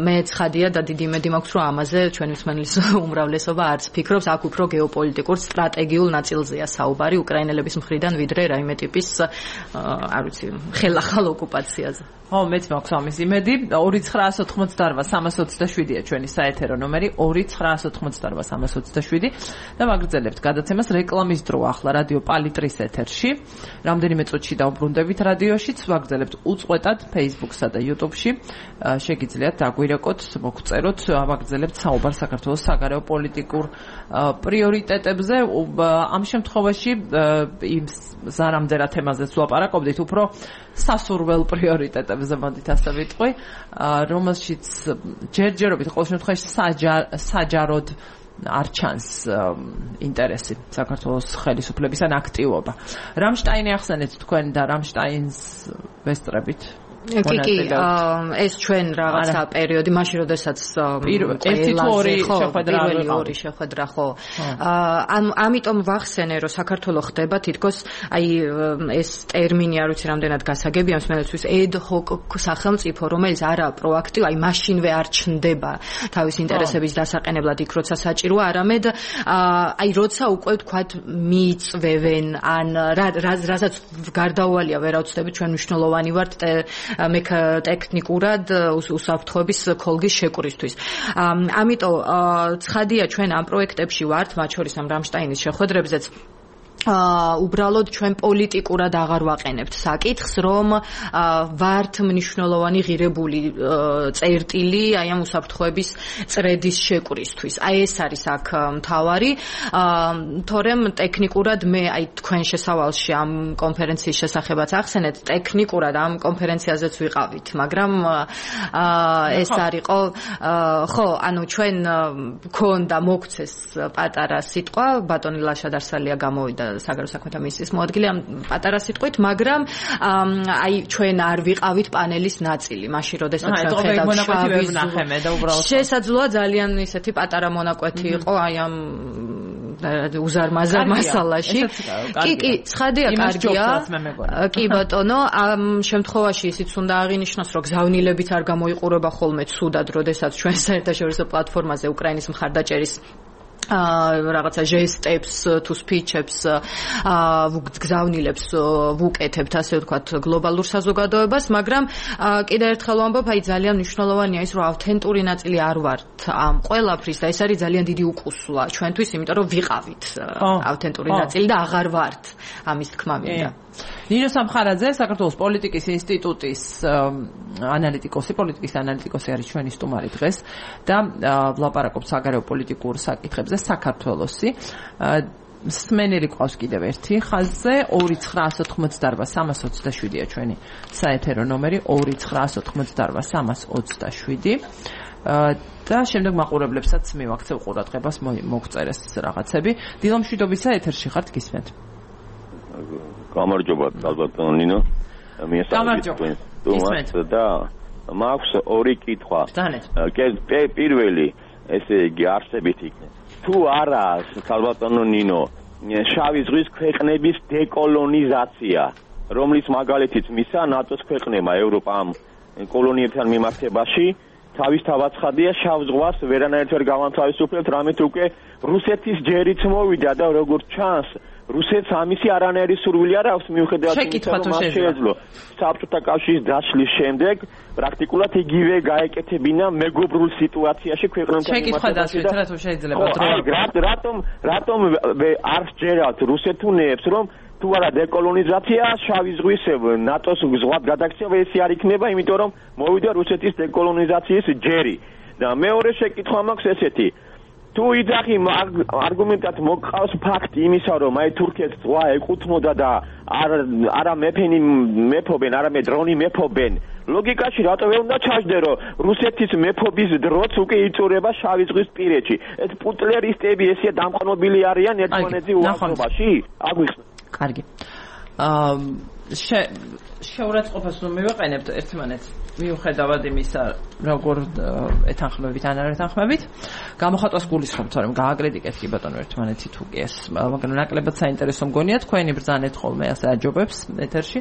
მე ცხადია და დიდი იმედი მაქვს, რომ ამაზე ჩვენი მსმენელის უმრავლესობა არც ფიქრობს, აქ უფრო გეოპოლიტიკურ სტრატეგიულ ნაწილზეა საუბარი უკრაინელების მხრიდან, ვიდრე რაიმე ტიპის არ ვიცი, ხელახალ ოკუპაციაზე. ხო, მეც მაქვს ამის იმედი. ორი ცხრაას ოთხმოცდაოთხ სამას ოცდაშვიდია ჩვენი საეთერო ნომერი ორი ცხრაას ოთხმოცდაოთხ სამას ოცდაშვიდი და ვაგრძელებთ გადაცემას რეკლამის დრო ახლა რადიო პალიტრის ეთერში. რამდენიმე წუთში დავბრუნდებით რადიოშიც, ვაგრძელებთ უწყვეტად Facebook-სა და YouTube-ში. შეგიძლიათ დაგვირეკოთ, მოგწეროთ, ვაგრძელებთ საუბარს საქართველოს საგარეო პოლიტიკურ პრიორიტეტებზე. ამ შემთხვევაში იმ ზარამდერა თემაზეც ვლაპარაკობდით, უფრო სასურველ პრიორიტეტებზე მოდით ასე ვიტყვი, რომელშიც ჯერჯერობით ყოველ შემთხვევაში საჯაროდ არ ჩანს ინტერესი საქართველოს ხელისუფლების ან აქტივობა. რამშტაინი ახსენეთ თქვენ და რამშტაინს ვესწრებით. კი კი ეს ჩვენ რაღაცა პერიოდი მაშინ როდესაც ერთი თუ ორი შეხვედრა პირველი ორი შეხვედრა ხო ამ ამიტომ ვახსენე რომ საქართველოს ხდება თითქოს აი ეს ტერმინი არ ვიცი რამდენად გასაგებია მსმენელთვის ad hoc სახელმწიფო რომელიც არა პროაქტივ აი მაშინვე არ ჩნდება თავის ინტერესების დასაყენებლად იქ როცა საჭიროა არამედ აი როცა უკვე თქვათ მიიწვევენ ან რასაც გარდაუვალია ვერაუცდებით ჩვენ მნიშვნელოვანი ვართ მე ტექნიკურად უსაფრთხოების ქოლგის შეკვრისთვის. ამიტომ ცხადია ჩვენ ამ პროექტებში ვართ, მათ შორის ამ რამშტაინის შეხვედრებზეც აა უბრალოდ ჩვენ პოლიტიკურად აღარ ვაყენებთ საკითხს, რომ ვართ მნიშვნელოვანი ღირებული წერტილი აი ამ უსაფრთხოების წრედის შეკვრისთვის. აი ეს არის აქ მთავარი, თორემ ტექნიკურად მე აი თქვენ შესავალში ამ კონფერენციის შესახებაც ახსენეთ, ტექნიკურად ამ კონფერენციაზეც ვიყავით, მაგრამ ეს არისო ხო, ანუ ჩვენ გქონდა მოგცეს პატარა სიტყვა, ბატონი ლაშა დარსალია გამოვიდა საგარეო საქმეთა მინისტრის მოადგილე ამ პატარა სიტყვით, მაგრამ აი ჩვენ არ ვიყავით პანელის ნაწილი, მაშინ როდესაც ჩვენ ხედავთ შესაძლოა ძალიან ისეთი პატარა მონაკვეთი იყო აი ამ უზარმაზარ მასალაში. კი, კი, ცხადია, კარგია. კი ბატონო, ამ შემთხვევაში ისიც უნდა აღინიშნოს, რომ გზავნილებით არ გამოიყურება ხოლმე ცუდად, როდესაც ჩვენ საერთაშორისო პლატფორმაზე უკრაინის მხარდაჭერის რაღაცა ჟესტებს თუ სპიჩებს გზავნილებს ვუკეთებთ ასე ვთქვათ გლობალურ საზოგადოებას, მაგრამ კიდევ ერთხელ ვამბობ, აი ძალიან მნიშვნელოვანია ის, რომ ავთენტური ნაწილი არ ვართ ამ ყველაფრის და ეს არის ძალიან დიდი უკუსლა ჩვენთვის, იმიტომ რომ ვიყავით ავთენტური ნაწილი და აღარ ვართ ამის თქმა მინდა. ნინო სამხარაძე, საქართველოს პოლიტიკის ინსტიტუტის ანალიტიკოსი, პოლიტიკის ანალიტიკოსი არის ჩვენი სტუმარი დღეს და ვლაპარაკობთ საგარეო პოლიტიკურ საკითხებზე საქართველოსი. სმენელი ყავს კიდევ ერთი ხაზზე ორი ცხრაას ოთხმოცდაოთხ სამას ოცდაშვიდია ჩვენი საეთერო ნომერი ორი ცხრაას ოთხმოცდაოთხ სამას ოცდაშვიდი და შემდეგ მაყურებლებსაც მივაქცევ ყურადღებას მოგწერეს რაღაცები. დილომშვიდობისა ეთერში ხართ, გისმენთ. გამარჯობა, ალბათ ნინო. გამარჯობა. და მაქვს ორი კითხვა. პირველი, ესე იგი არსებით იქნება. თუ არა, ალბათ ნინო, შავი ზღვის ქვეყნების დეკოლონიზაცია, რომლის მაგალითიც მისა ნატოს ქვეყნებმა ევროპამ კოლონიებთან მიმართებაში თავისთავად ცხადია შავ ზღვას ვერანაირად ვერ გავანთავისუფლებთ, რამით უკვე რუსეთის ჯერიც მოვიდა და როგორც ჩანს რუსეთს ამისი არანაირი სურვილი არ აქვს მიუხედავად იმისა, რომ მას შეეძლო საბჭოთა კავშირის დაშლის შემდეგ პრაქტიკულად იგივე გაეკეთებინა მეგობრულ სიტუაციაში ქვეყნებთან მიმართებაში და რატომ რატომ რატომ არ სჯერათ რუსეთუნეებს, რომ თუ არა დეკოლონიზაცია შავი ზღვის ნატოს ზღვად გადაქცევა ეს არ იქნება, იმიტომ რომ მოვიდა რუსეთის დეკოლონიზაციის ჯერი. და მეორე შეკითხვა მაქვს ესეთი, თუ იძახი არგუმენტად მოგყავს ფაქტი იმისა, რომ აი თურქეთს ზღვა ეკუთვნოდა და არა მეფენი მეფობენ, არამედ დრონი მეფობენ, ლოგიკაში რატო ვერ უნდა ჩაჯდე, რომ რუსეთის მეფობის დროც უკვე იწურება შავი ზღვის პირეთში? ეს პუტლერისტები ესეა დამყნობილი არიან ერთმანეთზე უახლოობაში? აგვიხსნა. კარგი. აა შეურაცხყოფას რომ მივაყენებთ ერთმანეთს მიუხედავად იმისა, როგორ ეთანხმებით ან არ ეთანხმებით, გამოხატვას გულისხმობთ, რომ გააკრიტიკეთ კი ბატონო ერთმანეთი თუ კი ეს, მაგრამ ნაკლებად საინტერესო მგონია თქვენი ბრძანეთ ხოლმე ასე აჯობებს ეთერში.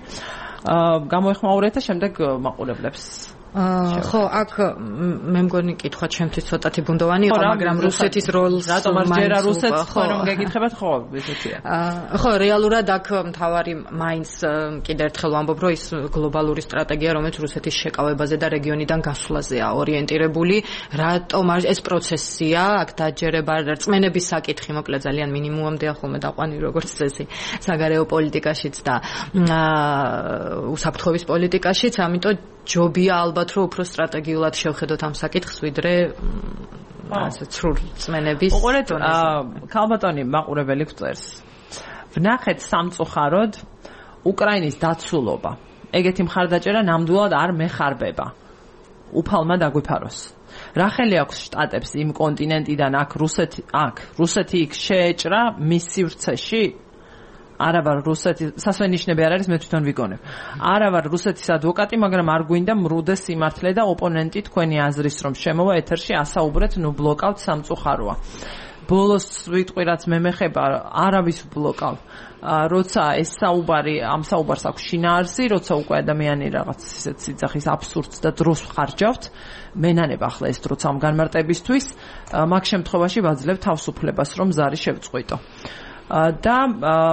გამოეხმაურეთ და შემდეგ მაყურებლებს ხო, აქ მე მგონი კითხვა ჩემთვის ცოტათი ბუნდოვანი იყო, მაგრამ რუსეთის როლს რატომ არ ჯერა რუსეთს ხო რომ გეკითხებათ ხო ესეთია. ხო, რეალურად აქ მთავარი მაინც კიდევ ერთხელ ვამბობ, რომ ის გლობალური სტრატეგია, რომელიც რუსეთის შეკავებაზე და რეგიონიდან გასვლაზეა ორიენტირებული, რატომ ეს პროცესია, აქ დაჯერება რწმენების საკითხი, მოკლედ ძალიან მინიმუმამდეა ხოლმე დაყვანი როგორც წესი საგარეო პოლიტიკაშიც და უსაფრთხოების პოლიტიკაშიც, ამიტომ ჯობია ალბათ რომ უფრო სტრატეგიულად შევხედოთ ამ საკითხს ვიდრე ასე ცრუ რწმენების უყურეთ ქალბატონი მაყურებელი გვწერს ვნახეთ სამწუხაროდ უკრაინის დაცულობა ეგეთი მხარდაჭერა ნამდვილად არ მეხარბება უფალმა დაგვიფაროს რა ხელი აქვს შტატებს იმ კონტინენტიდან აქ რუსეთი აქ რუსეთი იქ შეეჭრა მის სივრცეში არა ვარ რუსეთის სასვენიშნები არ არის მე თვითონ ვიგონებ არა ვარ რუსეთის ადვოკატი მაგრამ არ გვინდა მრუდეს სიმართლე და ოპონენტი თქვენი აზრის რომ შემოვა ეთერში ასაუბრეთ ნუ ბლოკავთ სამწუხაროა ბოლოს ვიტყვი რაც მე მეხება არავის ბლოკავ როცა ეს საუბარი ამ საუბარს აქვს შინაარსი როცა უკვე ადამიანი რაღაც ისეთ სიძახის აბსურდს და დროს ხარჯავთ მენანება ახლა ეს დროც ამ განმარტებისთვის მაგ შემთხვევაში ვაძლევ თავისუფლებას რომ ზარი შევწყვიტო და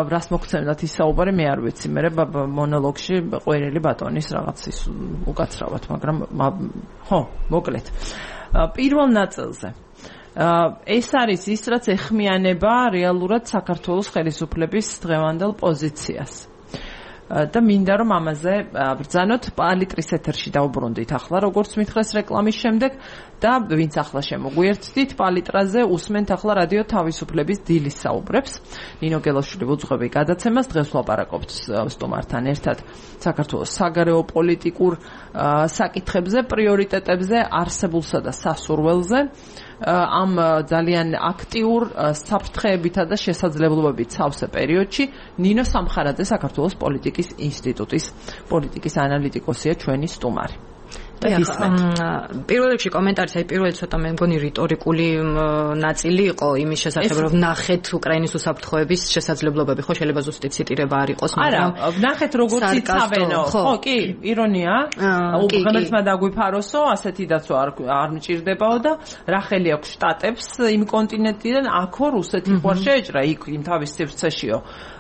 რას მოგცემდათ ის საუბარი მე არ ვიცი მე მონოლოგში ყვერილი ბატონის რაღაც ის უკაცრავად მაგრამ ხო მოკლედ პირველ ნაწილზე ეს არის ის რაც ეხმიანება რეალურად საქართველოს ხელისუფლების დღევანდელ პოზიციას და მინდა რომ ამაზე ბრძანოთ პალიტრის ეთერში დავუბრუნდით ახლა როგორც მითხრეს რეკლამის შემდეგ და ვინც ახლა შემოგვიერთდით პალიტრაზე უსმენთ ახლა რადიო თავისუფლების დილის საუბრებს ნინო გელოშვილი უძღვები გადაცემას დღეს ვლაპარაკობთ სტუმართან ერთად საქართველოს საგარეო პოლიტიკურ საკითხებზე პრიორიტეტებზე არსებულსა და სასურველზე ამ ძალიან აქტიურ საფრთხეებითა და შესაძლებლობებით სავსე პერიოდში ნინო სამხარაძე საქართველოს პოლიტიკის ინსტიტუტის პოლიტიკის ანალიტიკოსია ჩვენი სტუმარი. პირველ რიგში კომენტარის აი პირველი ცოტა მე მგონი რიტორიკული ნაწილი იყო იმის შესახებ რომ ვნახეთ უკრაინის უსაფრთხოების შესაძლებლობები ხო შეიძლება ზუსტი ციტირება არ იყოს მაგრამ ვნახეთ როგორც იცავენო ხო კი ირონია უბრალოდ დაგვიფაროსო ასეთი დაცვა არ არ მჭირდებაო და რა ხელი აქვს შტატებს იმ კონტინენტიდან აქო რუსეთი ხوار შეეჭრა იქ იმ თავის სივრცეშიო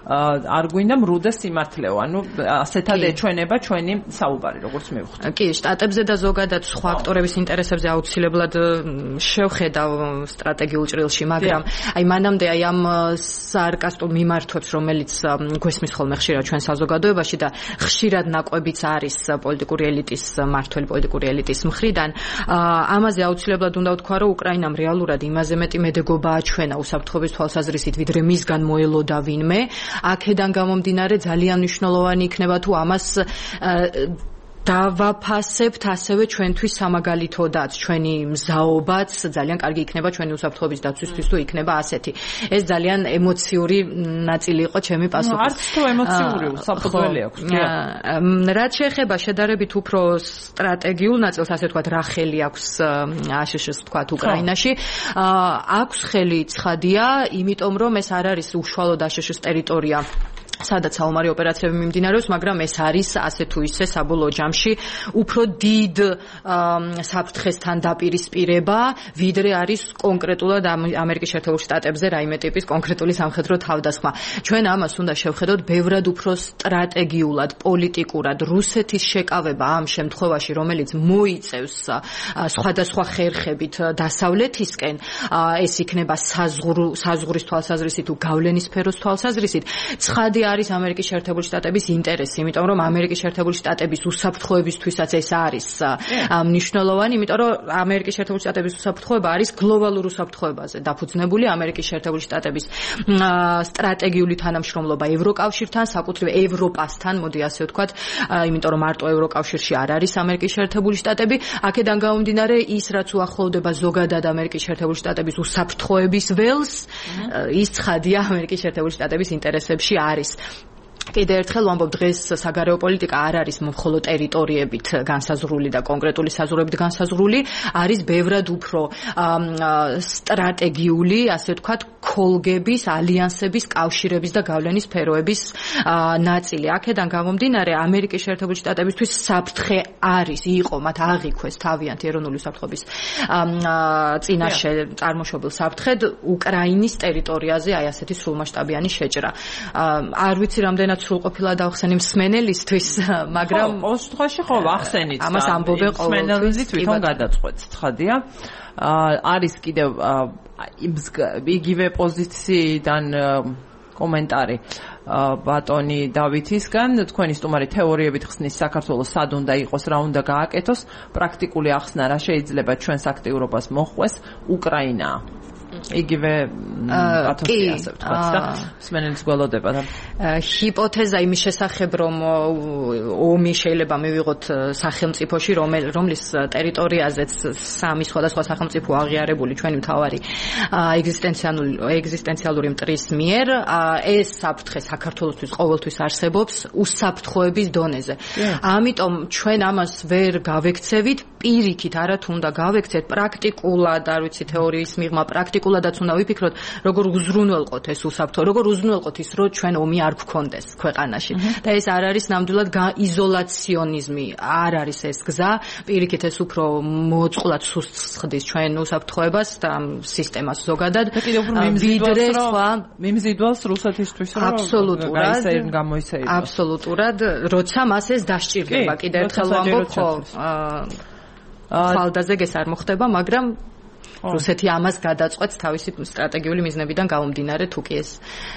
არ გვინდა მრუდეს სიმართლეო ანუ ასეთად ეჩვენება ჩვენი საუბარი როგორც მივხვდი კი შტატებზე და ზოგადად სხვა აქტორების ინტერესებზე აუცილებლად შევხედავ სტრატეგიულ ჭრილში, მაგრამ აი მანამდე აი ამ სარკასტულ მიმართვებს, რომელიც გვესმის ხოლმე ხშირად ჩვენ საზოგადოებაში და ხშირად ნაკვებიც არის პოლიტიკური ელიტის მართველი პოლიტიკური ელიტის მხრიდან, ამაზე აუცილებლად უნდა ვთქვა, რომ უკრაინამ რეალურად იმაზე მეტი მედეგობა აჩვენა უსაფრთხოების თვალსაზრისით, ვიდრე მისგან მოელოდა ვინმე, აქედან გამომდინარე ძალიან მნიშვნელოვანი იქნება თუ ამას დავაფასებთ ასევე ჩვენთვის სამაგალითოდაც ჩვენი მზაობაც ძალიან კარგი იქნება ჩვენი უსაფრთხოების დაცვისთვის თუ იქნება ასეთი ეს ძალიან ემოციური ნაწილი იყო ჩემი პასუხის არც თუ ემოციური უსაფრთხოელი აქვს რაც შეეხება შედარებით უფრო სტრატეგიულ ნაწილს ასე ვთქვათ რა ხელი აქვს აშშ-ს ვთქვათ უკრაინაში აქვს ხელი ცხადია იმიტომ რომ ეს არ არის უშუალოდ აშშ-ს ტერიტორია სადაც საომარი ოპერაციები მიმდინარეობს, მაგრამ ეს არის ასე თუ ისე საბოლოო ჯამში უფრო დიდ საფრთხესთან დაპირისპირება, ვიდრე არის კონკრეტულად ამერიკის შეერთებულ შტატებზე რაიმე ტიპის კონკრეტული სამხედრო თავდასხმა. ჩვენ ამას უნდა შევხედოთ ბევრად უფრო სტრატეგიულად, პოლიტიკურად, რუსეთის შეკავება ამ შემთხვევაში, რომელიც მოიწევს სხვადასხვა ხერხებით დასავლეთისკენ, ეს იქნება საზღვრის თვალსაზრისით თუ გავლენის სფეროს თვალსაზრისით, ცხადი არის ამერიკის შეერთებული შტატების ინტერესი, იმიტომ რომ ამერიკის შეერთებული შტატების უსაფრთხოებისთვისაც ეს არის მნიშვნელოვანი, იმიტომ რომ ამერიკის შეერთებული შტატების უსაფრთხოება არის გლობალურ უსაფრთხოებაზე დაფუძნებული ამერიკის შეერთებული შტატების სტრატეგიული თანამშრომლობა ევროკავშირთან, საკუთრივ ევროპასთან, მოდი ასე ვთქვათ, იმიტომ რომ მარტო ევროკავშირში არ არის ამერიკის შეერთებული შტატები, აქედან გამომდინარე ის რაც უახლოვდება ზოგადად ამერიკის შეერთებული შტატების უსაფრთხოების ველს, ის ცხადია ამერიკის შეერთებული შტატების ინტერესებში არის. კიდევ ერთხელ ვამბობ, დღეს საგარეო პოლიტიკა არ არის მხოლოდ ტერიტორიებით განსაზღვრული და კონკრეტული საზღვრებით განსაზღვრული, არის ბევრად უფრო სტრატეგიული, ასე ვთქვათ, ქოლგების, ალიანსების, კავშირების და გავლენის სფეროების ნაწილი. აქედან გამომდინარე, ამერიკის შეერთებული შტატებისთვის საფრთხე არის, იყო, მათ აღიქვეს თავიანთი ეროვნული უსაფრთხოების წინაშე წარმოშობილ საფრთხედ უკრაინის ტერიტორიაზე აი ასეთი სრულმასშტაბიანი შეჭრა. არ ვიცი რამდენად სრულყოფილა დავხსენი მსმენელისთვის, მაგრამ ყოველ შემთხვევაში ხო ახსენით. ამას ამბობენ ყოველთვის თვითონ გადაწყვეტს, ცხადია. არის კიდევ იგივე პოზიციიდან კომენტარი ბატონი დავითისგან, თქვენი სტუმარი თეორიებით ხსნის საქართველოს სად უნდა იყოს, რა უნდა გააკეთოს, პრაქტიკული ახსნა რა შეიძლება ჩვენს აქტიურობას მოხვეს, უკრაინაა. იგივე პათოსი ასე ვთქვათ და მსმენელის გველოდება და ჰიპოთეზა იმის შესახებ, რომ ომი შეიძლება მივიღოთ სახელმწიფოში, რომლის ტერიტორიაზეც სამი სხვადასხვა სახელმწიფო აღიარებული ჩვენი მთავარი ეგზისტენციალური ეგზისტენციალური მტრის მიერ, ეს საფრთხე საქართველოსთვის ყოველთვის არსებობს უსაფრთხოების დონეზე. ამიტომ ჩვენ ამას ვერ გავექცევით, პირიქით არა თუ უნდა გავექცეთ, პრაქტიკულად, არ ვიცი, თეორიის მიღმა პრაქტიკულადაც უნდა ვიფიქროთ, როგორ უზრუნველყოთ ეს უსაფრთხო, როგორ უზრუნველყოთ ის, რომ ჩვენ ომი არ გქონდეს ქვეყანაში. და ეს არ არის ნამდვილად იზოლაციონიზმი, არ არის ეს გზა, პირიქით ეს უფრო მოწყვლად სუსტს ჩვენ უსაფრთხოებას და სისტემას ზოგადად. ვიდრე სხვა მიმზიდვალს რუსეთისთვის, რომ აბსოლუტურად გამოიცემა. აბსოლუტურად, როცა მას ეს დასჭირდება, კიდევ ერთხელ ვამბობ, ხო, ხალდაზეგ ეს არ მოხდება, მაგრამ რუსეთი ამას გადაწყვეტს თავისი სტრატეგიული მიზნებიდან გამომდინარე, თუ კი ეს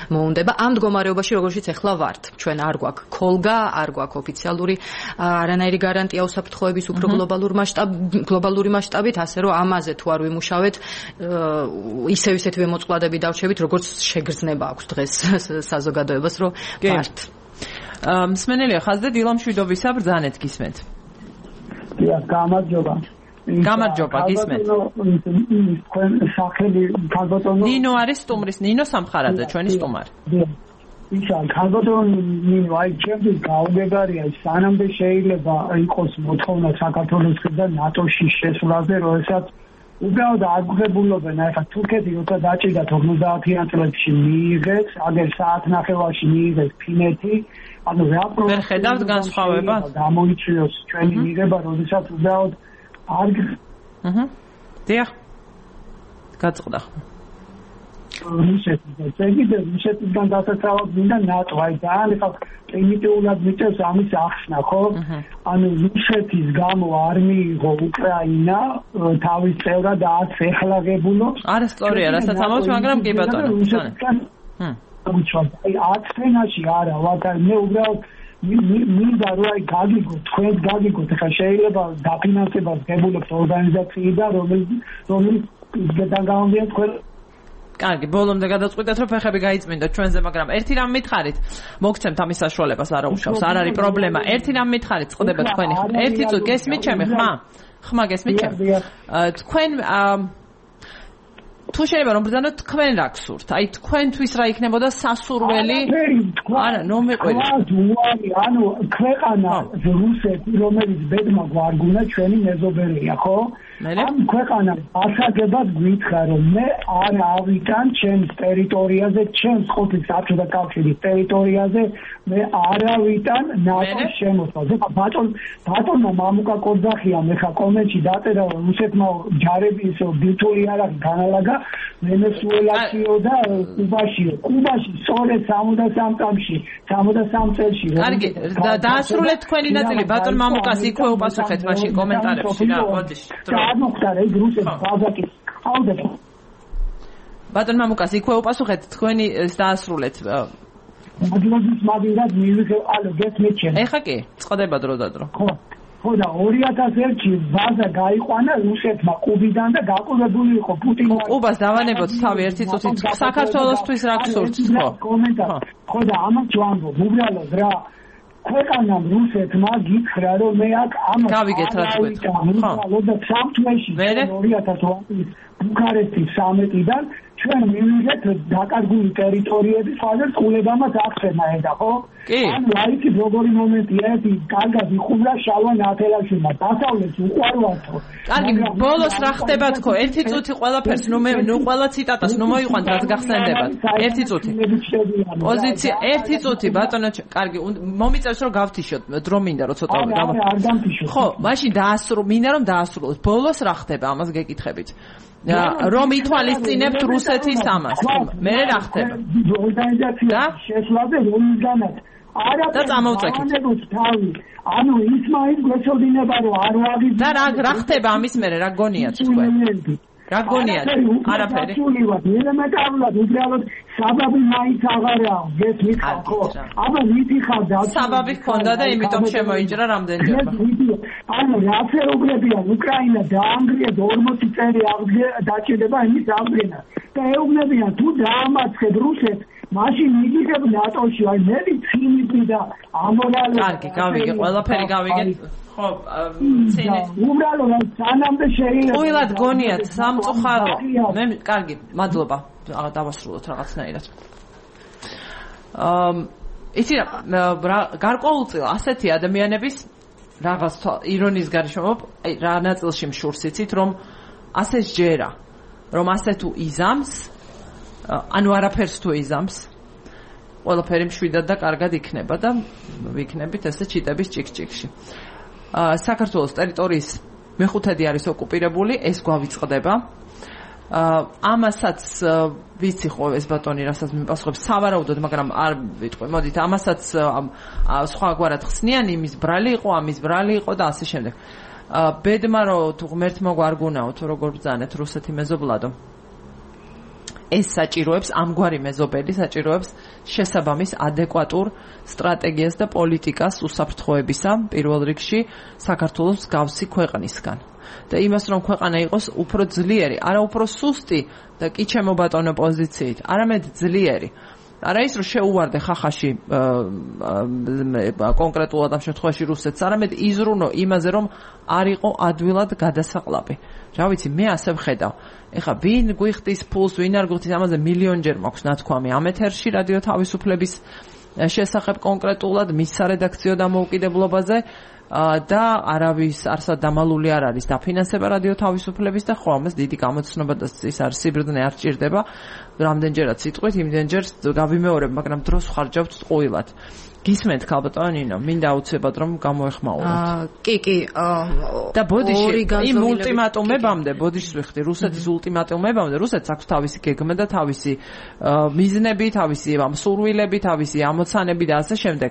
მოუნდება. ამ მდგომარეობაში, როგორშიც ახლა ვართ, ჩვენ არ გვაქვს ქოლგა, არ გვაქვს ოფიციალური არანაირი გარანტია უსაფრთხოების უფრო გლობალურ მასშტაბ გლობალური მასშტაბით, ასე რომ ამაზე თუ არ ვიმუშავეთ, ისევ ისეთივე მოწყვლადები დავჩებით, როგორც შეგრძნება აქვს დღეს საზოგადოებას, რომ ვართ. მსმენელია ხაზდეთ დილამშვიდობისა, ბრძანეთ გისმენთ. დიახ, გამარჯობა. გამარჯობა, გისმენთ. თქვენ სახელი ქალბატონო ნინო არის სტუმრის, ნინო სამხარაძე, ჩვენი სტუმარი. ისა ქალბატონო ნინო, აი ჩემთვის გაუგებარია, სანამდე შეიძლება იყოს მოთხოვნა საქართველოსგან ნატოში შესვლაზე, როდესაც უბრალოდ აგრებულობენ, ახლა თურქეთი როცა დაჭირდა ორმოცდაათიან წლებში მიიღეს, აგერ საათნახევარში მიიღეს ფინეთი, ანუ რა პრობლემა ვერ ხედავთ განსხვავებას? გამოიწვიოს ჩვენი მიღება, როდესაც უბრალოდ არ აჰა. დიახ. გაწყდა. რუსეთი და ზეგიდე რუსეთიდან დასაცავად მინდა ნატო, აი ძალიან ხალხ პრიმიტიულად მიწევს ამის ახსნა, ხო? ანუ რუსეთის გამო არ მიიღო უკრაინა თავის წევრად და არც ეხლაღებულობს. არასწორია, რასაც ამბობთ, მაგრამ კი ბატონო. ჰმ. აი ათენაში არა, ვაგარ მე უბრალოდ მინდა რომ აი გაგიგოთ, თქვენ გაგიგოთ, ხა შეიძლება დაფინანსებას გებულებთ ორგანიზაციიდან, რომელიც რომელიც გადაგამოვიდეს თქვენ. კარგი, ბოლომდე გადაწყვეტეთ, რომ ფეხები გაიწმინდოთ ჩვენზე, მაგრამ ერთი რამ მითხარით, მოგცემთ ამის საშუალებას, არა უშავს, არ არის პრობლემა. ერთი რამ მითხარით, წყდება თქვენი ხმა. ერთი წუთი გესმით ჩემი ხმა? ხმა გესმით ჩემი? თქვენ თუ შეიძლება რომ ბრძანოთ, თქვენ რა გსურთ? აი თქვენთვის რა იქნებოდა სასურველი? არა, ნუ მიყვეთ. ანუ ქვეყანა რუსეთი, რომელიც ბედმა გვარგუნა, ჩვენი მეზობელია, ხო? ამ ქვეყანას ასაგებად გვითხრა, რომ მე არ ავიტან ჩემს ტერიტორიაზე, ჩემს ყოფილ საბჭოთა კავშირის ტერიტორიაზე, მე არ ავიტან ნატოს შემოსვლას. ეხლა ბატონ ბატონმა მამუკა კოძახიამ ეხლა კომენტში დაწერა, რომ რუსეთმა ჯარები ისე ბირთვული არ აქვს განალაგა ვენესუელაშიო და კუბაშიო. კუბაში სწორედ სამოცდასამ წამში, სამოცდასამ წელში. კარგი, დაასრულეთ თქვენი ნაწილი, ბატონ მამუკას იქვე უპასუხეთ მაშინ კომენტარებში რა, მოდი. აღმოხდა ის რუსეთის ბაზაკის ყავდა. ბატონ მამუკას იქვე უპასუხეთ, თქვენი დაასრულეთ. მაგლობის მაგინდად მივიღე, ალო გესმით ჩემ. ეხა კი, წყდება დრო და დრო. ხო. ხო და ორი ათას ერთში ბაზა გაიყვანა რუსეთმა კუბიდან და გაყოლებული იყო პუტინმა. კუბას დავანებოთ თავი ერთი წუთით. საქართველოსთვის რა გსურთ, ხო? კომენტარი. ხო და ამას ვამბობ, უბრალოდ რა ქვეყანამ რუსეთმა გითხრა, რომ მე აქ ამას გავიგეთ რა თქვით. ხო და სამთვეში ორი ათას ორი ბუქარესტის სამეტიდან ჩვენ მივიღეთ დაკარგული ტერიტორიების ფაზერ ყულებამაც ახსენა ედა ხო? ანუ აიცი როგორი მომენტია ერთი კარგად იხუმრა შალვა ნათელაშვილმა დასავლეთს უყვარვათო. კარგი, ბოლოს რა ხდება თქო? ერთი წუთი ყველაფერს ნუ მე ნუ ყველა ციტატას ნუ მოიყვანთ რაც გახსენდებათ. ერთი წუთი. პოზიცია ერთი წუთი ბატონო, კარგი, მომიწევს რომ გავთიშოთ, დრო მინდა რომ ცოტა გავ. ხო, მაშინ დაასრულო, მინდა რომ დაასრულოთ. ბოლოს რა ხდება ამას გეკითხებით? რომ ითვალისწინებთ რუსეთის ამას. მე რა ხდება? ორგანიზაცია შეშლაზე რომისგანაც არა და წამოვწექით. ანუ ის მაინც გვეცოდინება რომ არ ვაგის და რა რა ხდება ამის მერე რა გონიათ თქვენ? რა გონიათ? არაფერი. ელემენტარულად უბრალოდ საბაბი მაინც აღარა ეს მითხა ხო? აბა მითხარ და საბაბი ჰქონდა და იმიტომ შემოიჭრა რამდენჯერმე. ანუ რაფერობლებია უკრაინა დაანგრიეს ორმოცი წელი დაჭირდება იმის აღდგენა. და ეუბნებიან თუ დაამარცხებ რუსეთს მაშინ მიგიღებ ნატოში, აი მე ვცინიკი და ამორალი. კარგი, გავიგე, ყველაფერი გავიგე. ხო, ცინი. უბრალოდ სანამდე შეიძლება. უილად გონიათ სამწუხარო. მე კარგი, მადლობა. დავასრულოთ რაღაცნაირად. აა, იცი რა, გარკვეულწილად ასეთი ადამიანების რაღაც ირონიის გარშემო, აი რა ნაწილში მშურს იცით, რომ ასე სჯერა, რომ ასე თუ იზამს ანუ არაფერს თუ იზამს ყველაფერი მშვიდად და კარგად იქნება და ვიქნებით ესე ჩიტების ჭიქჭიქში. აა საქართველოს ტერიტორიის მეხუთედი არის ოკუპირებული, ეს გვავიწყდება. აა ამასაც ვიცი ხო ეს ბატონი რასაც მიპასუხებს სავარაუდოდ, მაგრამ არ ვიტყვი. მოდით ამასაც სხვაგვარად ხსნიან, იმის ბრალი იყო, ამის ბრალი იყო და ასე შემდეგ. აა ბედმა რომ თუ ღმერთმა გვარგუნაო თუ როგორ ბრძანეთ რუსეთი მეზობლადო. ეს საჭიროებს ამგვარი მეზობელი საჭიროებს შესაბამის ადეკვატურ სტრატეგიას და პოლიტიკას უსაფრთხოებისა პირველ რიგში საქართველოს გავსი ქვეყნისგან და იმას რომ ქვეყანა იყოს უფრო ძლიერი, არა უფრო სუსტი და კი ჩემო ბატონო პოზიციით, არამედ ძლიერი. არა ის რომ შეუვარდე ხახაში კონკრეტულად ამ შემთხვევაში რუსეთს, არამედ იზრუნო იმაზე რომ არ იყო ადვილად გადასაყლაპი. რა ვიცი, მე ასე ვხედავ. ეხლა ვინ გვიხდის ფულს, ვინ არ გვიხდის, ამაზე მილიონჯერ მაქვს ნათქვამი ამ ეთერში რადიო თავისუფლების შესახებ კონკრეტულად მის სარედაქციო დამოუკიდებლობაზე და არავის არსად დამალული არ არის დაფინანსება რადიო თავისუფლების და ხო ამას დიდი გამოცნობა და ის არის სიბრდნე არ ჭირდება რამდენჯერაც სიტყვით იმდენჯერ გავიმეორებ, მაგრამ დროს ხარჯავთ ტყუილად. გისმენთ ქალბატონინო, მინდა აუცილებლად რომ გამოეხმაუროთ. აა კი კი და ბოდიში იმ ულტიმატუმებამდე ბოდიშს ვიხდი რუსეთის ულტიმატუმებამდე რუსეთს აქვს თავისი გეგმა და თავისი მიზნები, თავისი სურვილები, თავისი ამოცანები და ასე შემდეგ.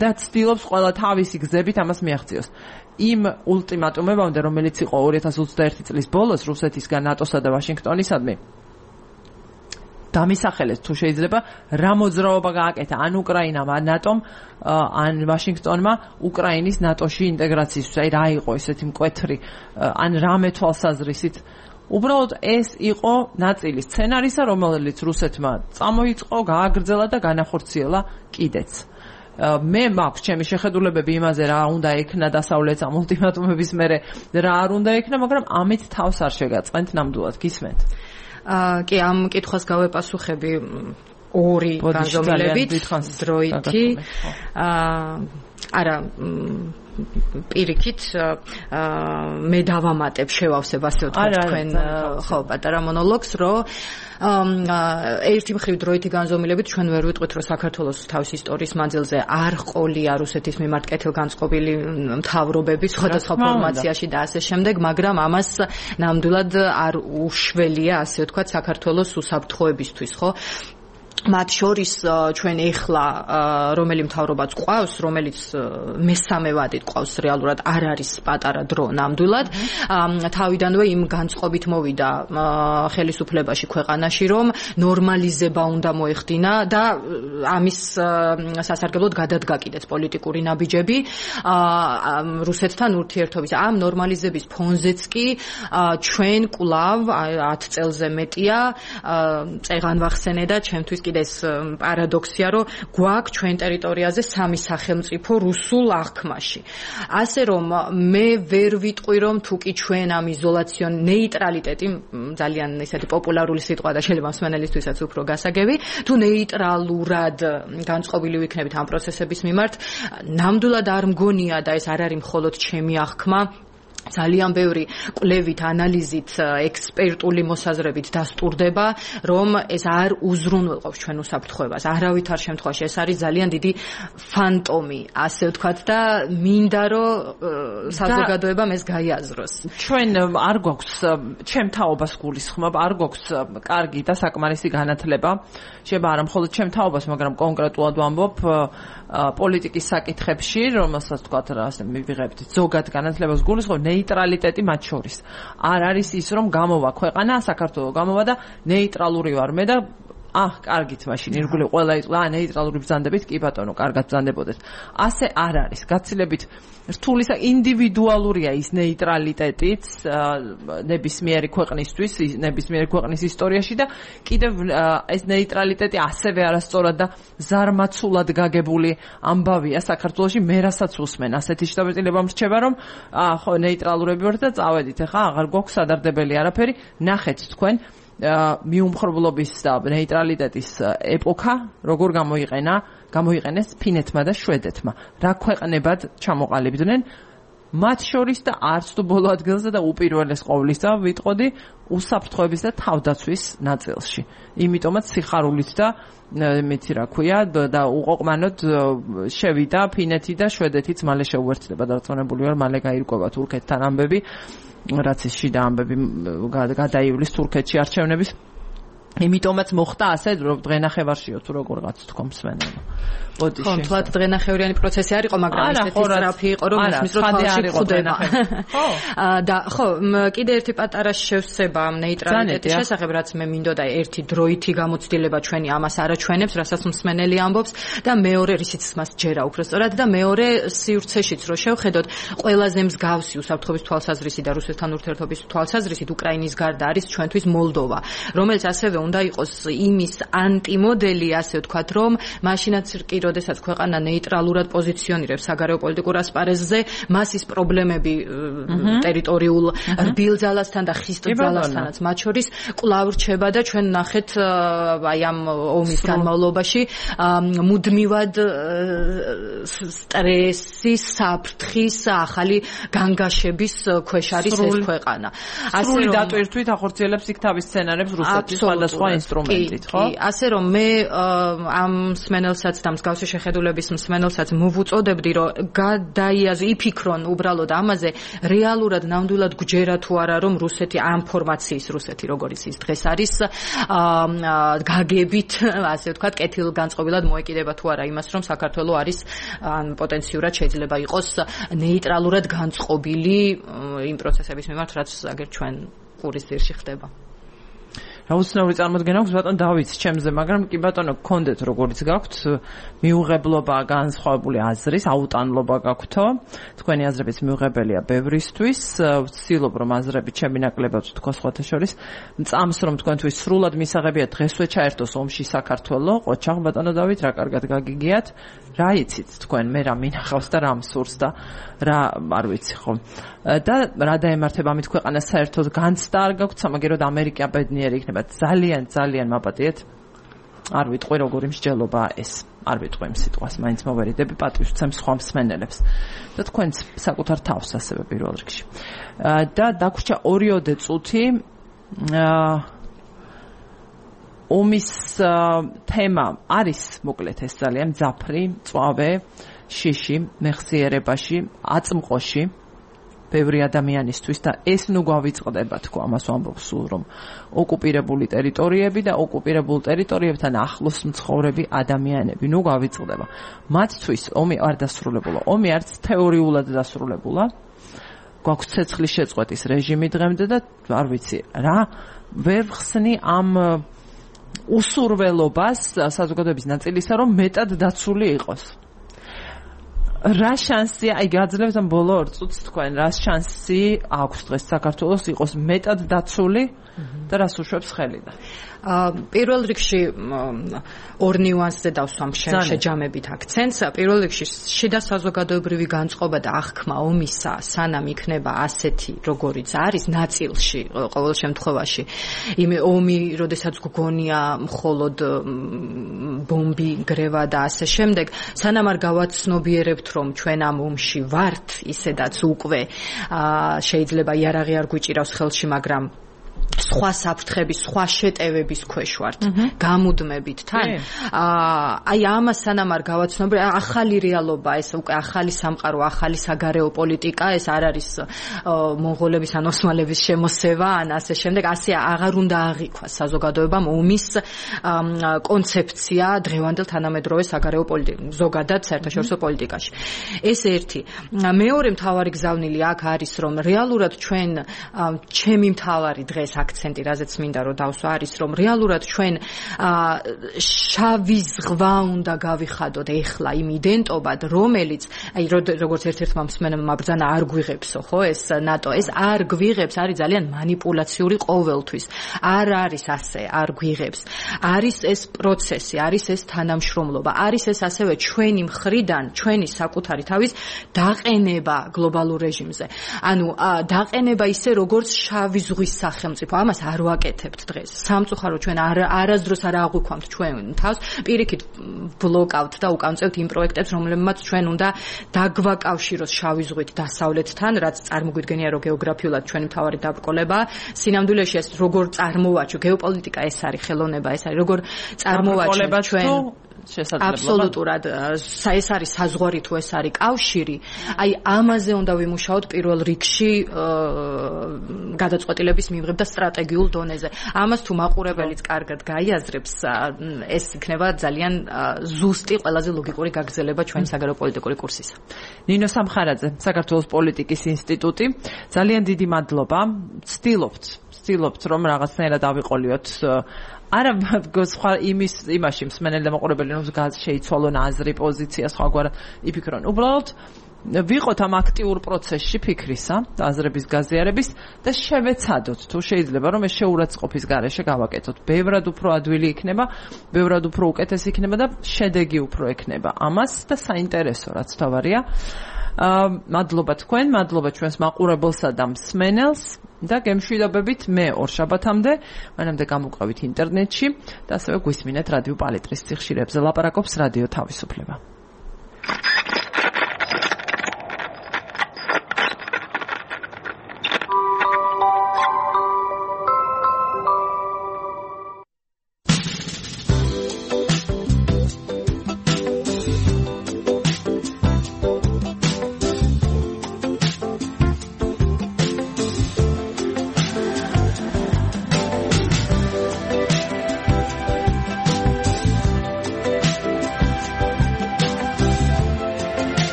და ცდილობს ყველა თავისი გზებით ამას მიაღწიოს. იმ ულტიმატუმებამდე, რომელიც იყო ორი ათას ოცდაერთი წლის ბოლოს რუსეთისგან ნატოსა და ვაშინგტონისადმი დამისახელეს თუ შეიძლება რა მოძრაობა გააკეთა ან უკრაინამ ან ნატომ ან ვაშინგტონმა უკრაინის ნატოში ინტეგრაციისთვის, აი რა იყო ესეთი მკვეთრი ან რამე თვალსაზრისით. უბრალოდ ეს იყო ნაწილი სცენარისა, რომელიც რუსეთმა წამოიწყო, გააგრძელა და განახორციელა კიდეც. მე მაქვს ჩემი შეხედულებები იმაზე რა უნდა ექნა დასავლეთს ამ ულტიმატუმების მერე რა არ უნდა ექნა, მაგრამ ამით თავს არ შეგაწყენთ ნამდვილად. გისმენთ? აა კი, ამ კითხვას გავეპასუხები ორი განზომილებით დროითი. აა არა პირიქით მე დავამატებ, შევავსებ ასე ვთქვათ თქვენ ხო პატარა მონოლოგს, რომ ერთი მხრივ დროითი განზომილებით ჩვენ ვერ ვიტყვით, რომ საქართველოს თავის ისტორიის მანძილზე არ ყოლია რუსეთის მიმართ კეთილგანწყობილი მთავრობები სხვადასხვა ფორმაციაში და ასე შემდეგ, მაგრამ ამას ნამდვილად არ უშველია, ასე ვთქვათ, საქართველოს უსაფრთხოებისთვის, ხო? მათ შორის ჩვენ ეხლა რომელი მთავრობაც ყავს, რომელიც მესამე ვადით ყავს რეალურად არ არის პატარა დრო ნამდვილად. თავიდანვე იმ განწყობით მოვიდა ხელისუფლებაში ქვეყანაში, რომ ნორმალიზება უნდა მოეხდინა და ამის სასარგებლოდ გადადგა კიდეც პოლიტიკური ნაბიჯები რუსეთთან ურთიერთობის. ამ ნორმალიზების ფონზეც კი ჩვენ კვლავ ათ წელზე მეტია წეღან ვახსენე და ჩემთვის კიდე ეს პარადოქსია, რომ გვაქვს ჩვენ ტერიტორიაზე სამი სახელმწიფო რუსულ აღქმაში. ასე რომ მე ვერ ვიტყვი რომ თუ კი ჩვენ ამ იზოლაციონ ნეიტრალიტეტი ძალიან ესეთი პოპულარული სიტყვა და შეიძლება მსმენელისთვისაც უფრო გასაგები, თუ ნეიტრალურად განწყობილი ვიქნებით ამ პროცესების მიმართ, ნამდვილად არ მგონია და ეს არ არის მხოლოდ ჩემი აღქმა, ძალიან ბევრი კვლევით, ანალიზით, ექსპერტული მოსაზრებით დასტურდება, რომ ეს არ უზრუნველყოფს ჩვენ უსაფრთხოებას. არავითარ შემთხვევაში ეს არის ძალიან დიდი ფანტომი, ასე ვთქვათ და მინდა რომ საზოგადოებამ ეს გაიაზროს. ჩვენ არ გვაქვს ჩემ თაობას გულისხმობ, არ გვაქვს კარგი და საკმარისი განათლება. შეიძლება არა მხოლოდ ჩემ თაობას, მაგრამ კონკრეტულად ვამბობ პოლიტიკის საკითხებში, რომელსაც თქვათ რა ასე მივიღებთ ზოგად განათლებას გულისხმობ, ნეიტრალიტეტი მათ შორის. არ არის ის რომ გამოვა ქვეყანა, საქართველო გამოვა და ნეიტრალური ვარ მე და აჰ, კარგით მაშინ ირგვლივ ყველა იყო, აა ნეიტრალური ბრძანდებით, კი ბატონო, კარგად ბრძანდებოდეს. ასე არ არის. გაცილებით რთული ინდივიდუალურია ის ნეიტრალიტეტიც ნებისმიერი ქვეყნისთვის, ნებისმიერი ქვეყნის ისტორიაში და კიდევ ეს ნეიტრალიტეტი ასევე არასწორად და ზარმაცულად გაგებული ამბავია საქართველოში, მე რასაც უსმენ, ასეთი შთაბეჭდილება მრჩება, რომ ხო ნეიტრალურები ვართ და წავედით, ახლა აღარ გვაქვს სადარდებელი არაფერი, ნახეთ თქვენ მიუმხრობლობის და ნეიტრალიტეტის ეპოქა როგორ გამოიყენა, გამოიყენეს ფინეთმა და შვედეთმა. რა ქვეყნებად ჩამოყალიბდნენ მათ შორის და არც თუ ბოლო ადგილზე და უპირველეს ყოვლისა ვიტყოდი უსაფრთხოების და თავდაცვის ნაწილში. იმიტომაც სიხარულით და მეცი რა ქვია და უყოყმანოდ შევიდა ფინეთი და შვედეთიც მალე შეუერთდება დარწმუნებული ვარ, მალე გაირკვევა თურქეთთან ამბები. რაც ის შიდა ამბები გადაივლის თურქეთში არჩევნების. იმიტომაც მოხდა ასე, რომ დღენახევარშიო თუ როგორღაც თქო მსმენელო. ბოდი ხო, თლად დღენახევრიანი პროცესი არ იყო, მაგრამ ესეთი სწრაფი იყო, რომ ისმის რომ თვალში ხდება. ხო. და ხო, კიდე ერთი პატარა შევსება ამ ნეიტრალიტეტის შესახებ, რაც მე მინდოდა ერთი დროითი გამოცდილება ჩვენი ამას არაჩვენებს, რასაც მსმენელი ამბობს და მეორე რისიც მას ჯერა უფრო სწორად და მეორე სივრცეშიც რო შევხედოთ, ყველაზე მსგავსი უსაფრთხოების თვალსაზრისი და რუსეთთან ურთიერთობის თვალსაზრისით უკრაინის გარდა არის ჩვენთვის მოლდოვა, რომელიც ასევე უნდა იყოს იმის ანტიმოდელი, ასე ვთქვათ, რომ მაშინაც კი როდესაც ქვეყანა ნეიტრალურად პოზიციონირებს საგარეო პოლიტიკურ ასპარეზზე, მას ის პრობლემები ტერიტორიულ რბილძალასთან და ხისტ ძალასთანაც მათ შორის კვლავ რჩება და ჩვენ ნახეთ აი ამ ომის განმავლობაში მუდმივად სტრესის, საფრთხის, ახალი განგაშების ქვეშ არის ეს ქვეყანა. სრული დატვირთვით ახორციელებს იქ თავის სცენარებს რუსეთის სხვადასხვა ინსტრუმენტით, ხო? კი, ასე რომ მე ამ მსმენელსაც და მსგავსი შეხედულების მსმენელსაც მოვუწოდებდი, რომ გადაიაზრონ, იფიქრონ უბრალოდ ამაზე, რეალურად ნამდვილად გვჯერა თუ არა, რომ რუსეთი ამ ფორმაციის რუსეთი, როგორც ის დღეს არის, გაგებით, ასე ვთქვათ, კეთილგანწყობილად მოეკიდება თუ არა იმას, რომ საქართველო არის ან პოტენციურად შეიძლება იყოს ნეიტრალურად განწყობილი იმ პროცესების მიმართ, რაც აგერ ჩვენ ყურის ძირში ხდება. აუცილებლად წარმოდგენა აქვს ბატონ დავით ჩემზე, მაგრამ კი ბატონო გქონდეთ როგორც გაქვთ მიუღებლობა განსხვავებული აზრის, აუტანლობა გაქვთო. თქვენი აზრებიც მიუღებელია ბევრისთვის. ვცდილობ რომ აზრები ჩემი ნაკლებად თქვა სხვათა შორის. მწამს რომ თქვენთვის სრულად მისაღებია დღესვე ჩაერთოს ომში საქართველო. ყოჩაღ ბატონო დავით, რა კარგად გაგიგიათ. რა იცით თქვენ, მე რა მინახავს და რა მსურს და რა არ ვიცი ხო. და რა დაემართება ამით ქვეყანას საერთოდ განცდა არ გაქვთ, სამაგეროდ ამერიკა ბედნიერი იქნება. ძალიან ძალიან მაპატიეთ. არ ვიტყვი როგორი მსჯელობაა ეს. არ ვიტყვი იმ სიტყვას, მაინც მოვერიდები პატივს ვცემ სხვა მსმენელებს. და თქვენც საკუთარ თავს ასევე პირველ რიგში. და დაგვრჩა ორიოდე წუთი ომის თემა არის მოკლედ ეს ძალიან მძაფრი, მწვავე, შიში, მეხსიერებაში, აწმყოში ბევრი ადამიანისთვის და ეს ნუ გვავიწყდება თქო ამას ვამბობ სულ რომ ოკუპირებული ტერიტორიები და ოკუპირებულ ტერიტორიებთან ახლოს მცხოვრები ადამიანები ნუ გვავიწყდება. მათთვის ომი არ დასრულებულა, ომი არც თეორიულად დასრულებულა. გვაქვს ცეცხლის შეწყვეტის რეჟიმი დღემდე და არ ვიცი რა ვერ ხსნი ამ усურველობას საზოგადოების ნაწილისა რომ მეტად დაცული იყოს. რა შანსი, აი გაძლევთ ამ ბოლო ორ წუთს თქვენ, რა შანსი აქვს დღეს საქართველოს იყოს მეტად დაცული და რას უშვებს ხელიდან? პირველ რიგში ორ ნიუანსზე დავსვამ შეჯამებით აქცენტს. პირველ რიგში შიდა საზოგადოებრივი განწყობა და აღქმა ომისა სანამ იქნება ასეთი, როგორიც არის ნაწილში, ყოველ შემთხვევაში. იმ ომი, როდესაც გგონია მხოლოდ ბომბი, გრევა და ასე შემდეგ, სანამ არ გავაცნობიერებთ, რომ ჩვენ ამ ომში ვართ, ისედაც უკვე შეიძლება იარაღი არ გვიჭირავს ხელში, მაგრამ სხვა საფრთხების, სხვა შეტევების ქვეშ ვართ, გამუდმებით თან. აი ამას სანამ არ გავაცნობ, ახალი რეალობა, ეს უკვე ახალი სამყარო, ახალი საგარეო პოლიტიკა, ეს არ არის მონღოლების ან ოსმალების შემოსევა, ან ასე შემდეგ, ასე აღარ უნდა აღიქვას საზოგადოებამ ომის კონცეფცია დღევანდელ თანამედროვე საგარეო პოლიტიკაში, ზოგადად საერთაშორისო პოლიტიკაში. ეს ერთი. მეორე მთავარი გზავნილი აქ არის, რომ რეალურად ჩვენ ჩემი მთავარი დღეს აქცენტი, რაზეც მინდა რომ დავსვა, არის, რომ რეალურად ჩვენ შავი ზღვა უნდა გავიხადოთ ეხლა იმ იდენტობად, რომელიც, აი როგორც ერთ-ერთმა მსმენელმა ბრძანა არ გვიღებსო, ხო, ეს ნატო, ეს არ გვიღებს, არის ძალიან манипуляციური ყოველთვის. არ არის ასე, არ გვიღებს. არის ეს პროცესი, არის ეს თანამშრომლობა, არის ეს ასევე ჩვენი მხრიდან, ჩვენი საკუთარი თავის დაყენება გლობალურ რეჟიმზე. ანუ დაყენება ისე, როგორც შავი ზღვის სახელმწიფო. ამას არ ვაკეთებთ დღეს. სამწუხარო ჩვენ არასდროს არ აღვიქვამთ ჩვენ თავს, პირიქით ბლოკავთ და უკამწევთ იმ პროექტებს, რომლებმაც ჩვენ უნდა დაგვაკავშიროს შავი ზღვით დასავლეთთან, რაც წარმოგვიდგენია, რომ გეოგრაფიულად ჩვენი მთავარი დაბრკოლებაა. სინამდვილეში ეს როგორ წარმოვაჩო, გეოპოლიტიკა ეს არის, ხელოვნება ეს არის, როგორ წარმოვაჩენთ ჩვენ აბსოლუტურად ეს არის საზღვარი თუ ეს არის კავშირი, აი ამაზე უნდა ვიმუშაოთ პირველ რიგში გადაწყვეტილების მიღებ და სტრატეგიულ დონეზე. ამას თუ მაყურებელიც კარგად გაიაზრებს, ეს იქნება ძალიან ზუსტი, ყველაზე ლოგიკური გაგრძელება ჩვენი საგარეო პოლიტიკური კურსისა. ნინო სამხარაძე, საქართველოს პოლიტიკის ინსტიტუტი, ძალიან დიდი მადლობა. ვცდილობთ, ვცდილობთ რომ რაღაცნაირად ავიყოლიოთ არა სხვა იმის იმაში მსმენელი და მაყურებელი რომ შეიცვალონ აზრი, პოზიცია, სხვაგვარ იფიქრონ. უბრალოდ ვიყოთ ამ აქტიურ პროცესში ფიქრისა, აზრების გაზიარების და შევეცადოთ თუ შეიძლება რომ ეს შეურაცხყოფის გარეშე გავაკეთოთ. ბევრად უფრო ადვილი იქნება, ბევრად უფრო უკეთესი იქნება და შედეგი უფრო ექნება ამას და საინტერესო რაც თავარია. მადლობა თქვენ, მადლობა ჩვენს მაყურებელსა და მსმენელს და გემშვიდობებით მე ორშაბათამდე, მანამდე გამოვყავით ინტერნეტში და ასევე გვისმინეთ რადიო პალიტრის სიხშირეებზე. ლაპარაკობს რადიო თავისუფლება.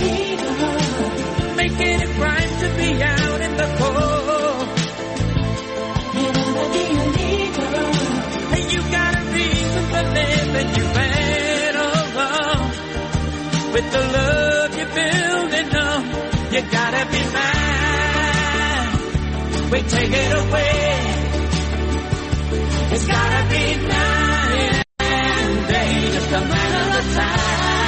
leader. Making it right to be out in the cold. Hey, you got a reason for living, you better run. With the love you're building up, you gotta be mine. We take it away. It's gotta be night and day, just a matter of time.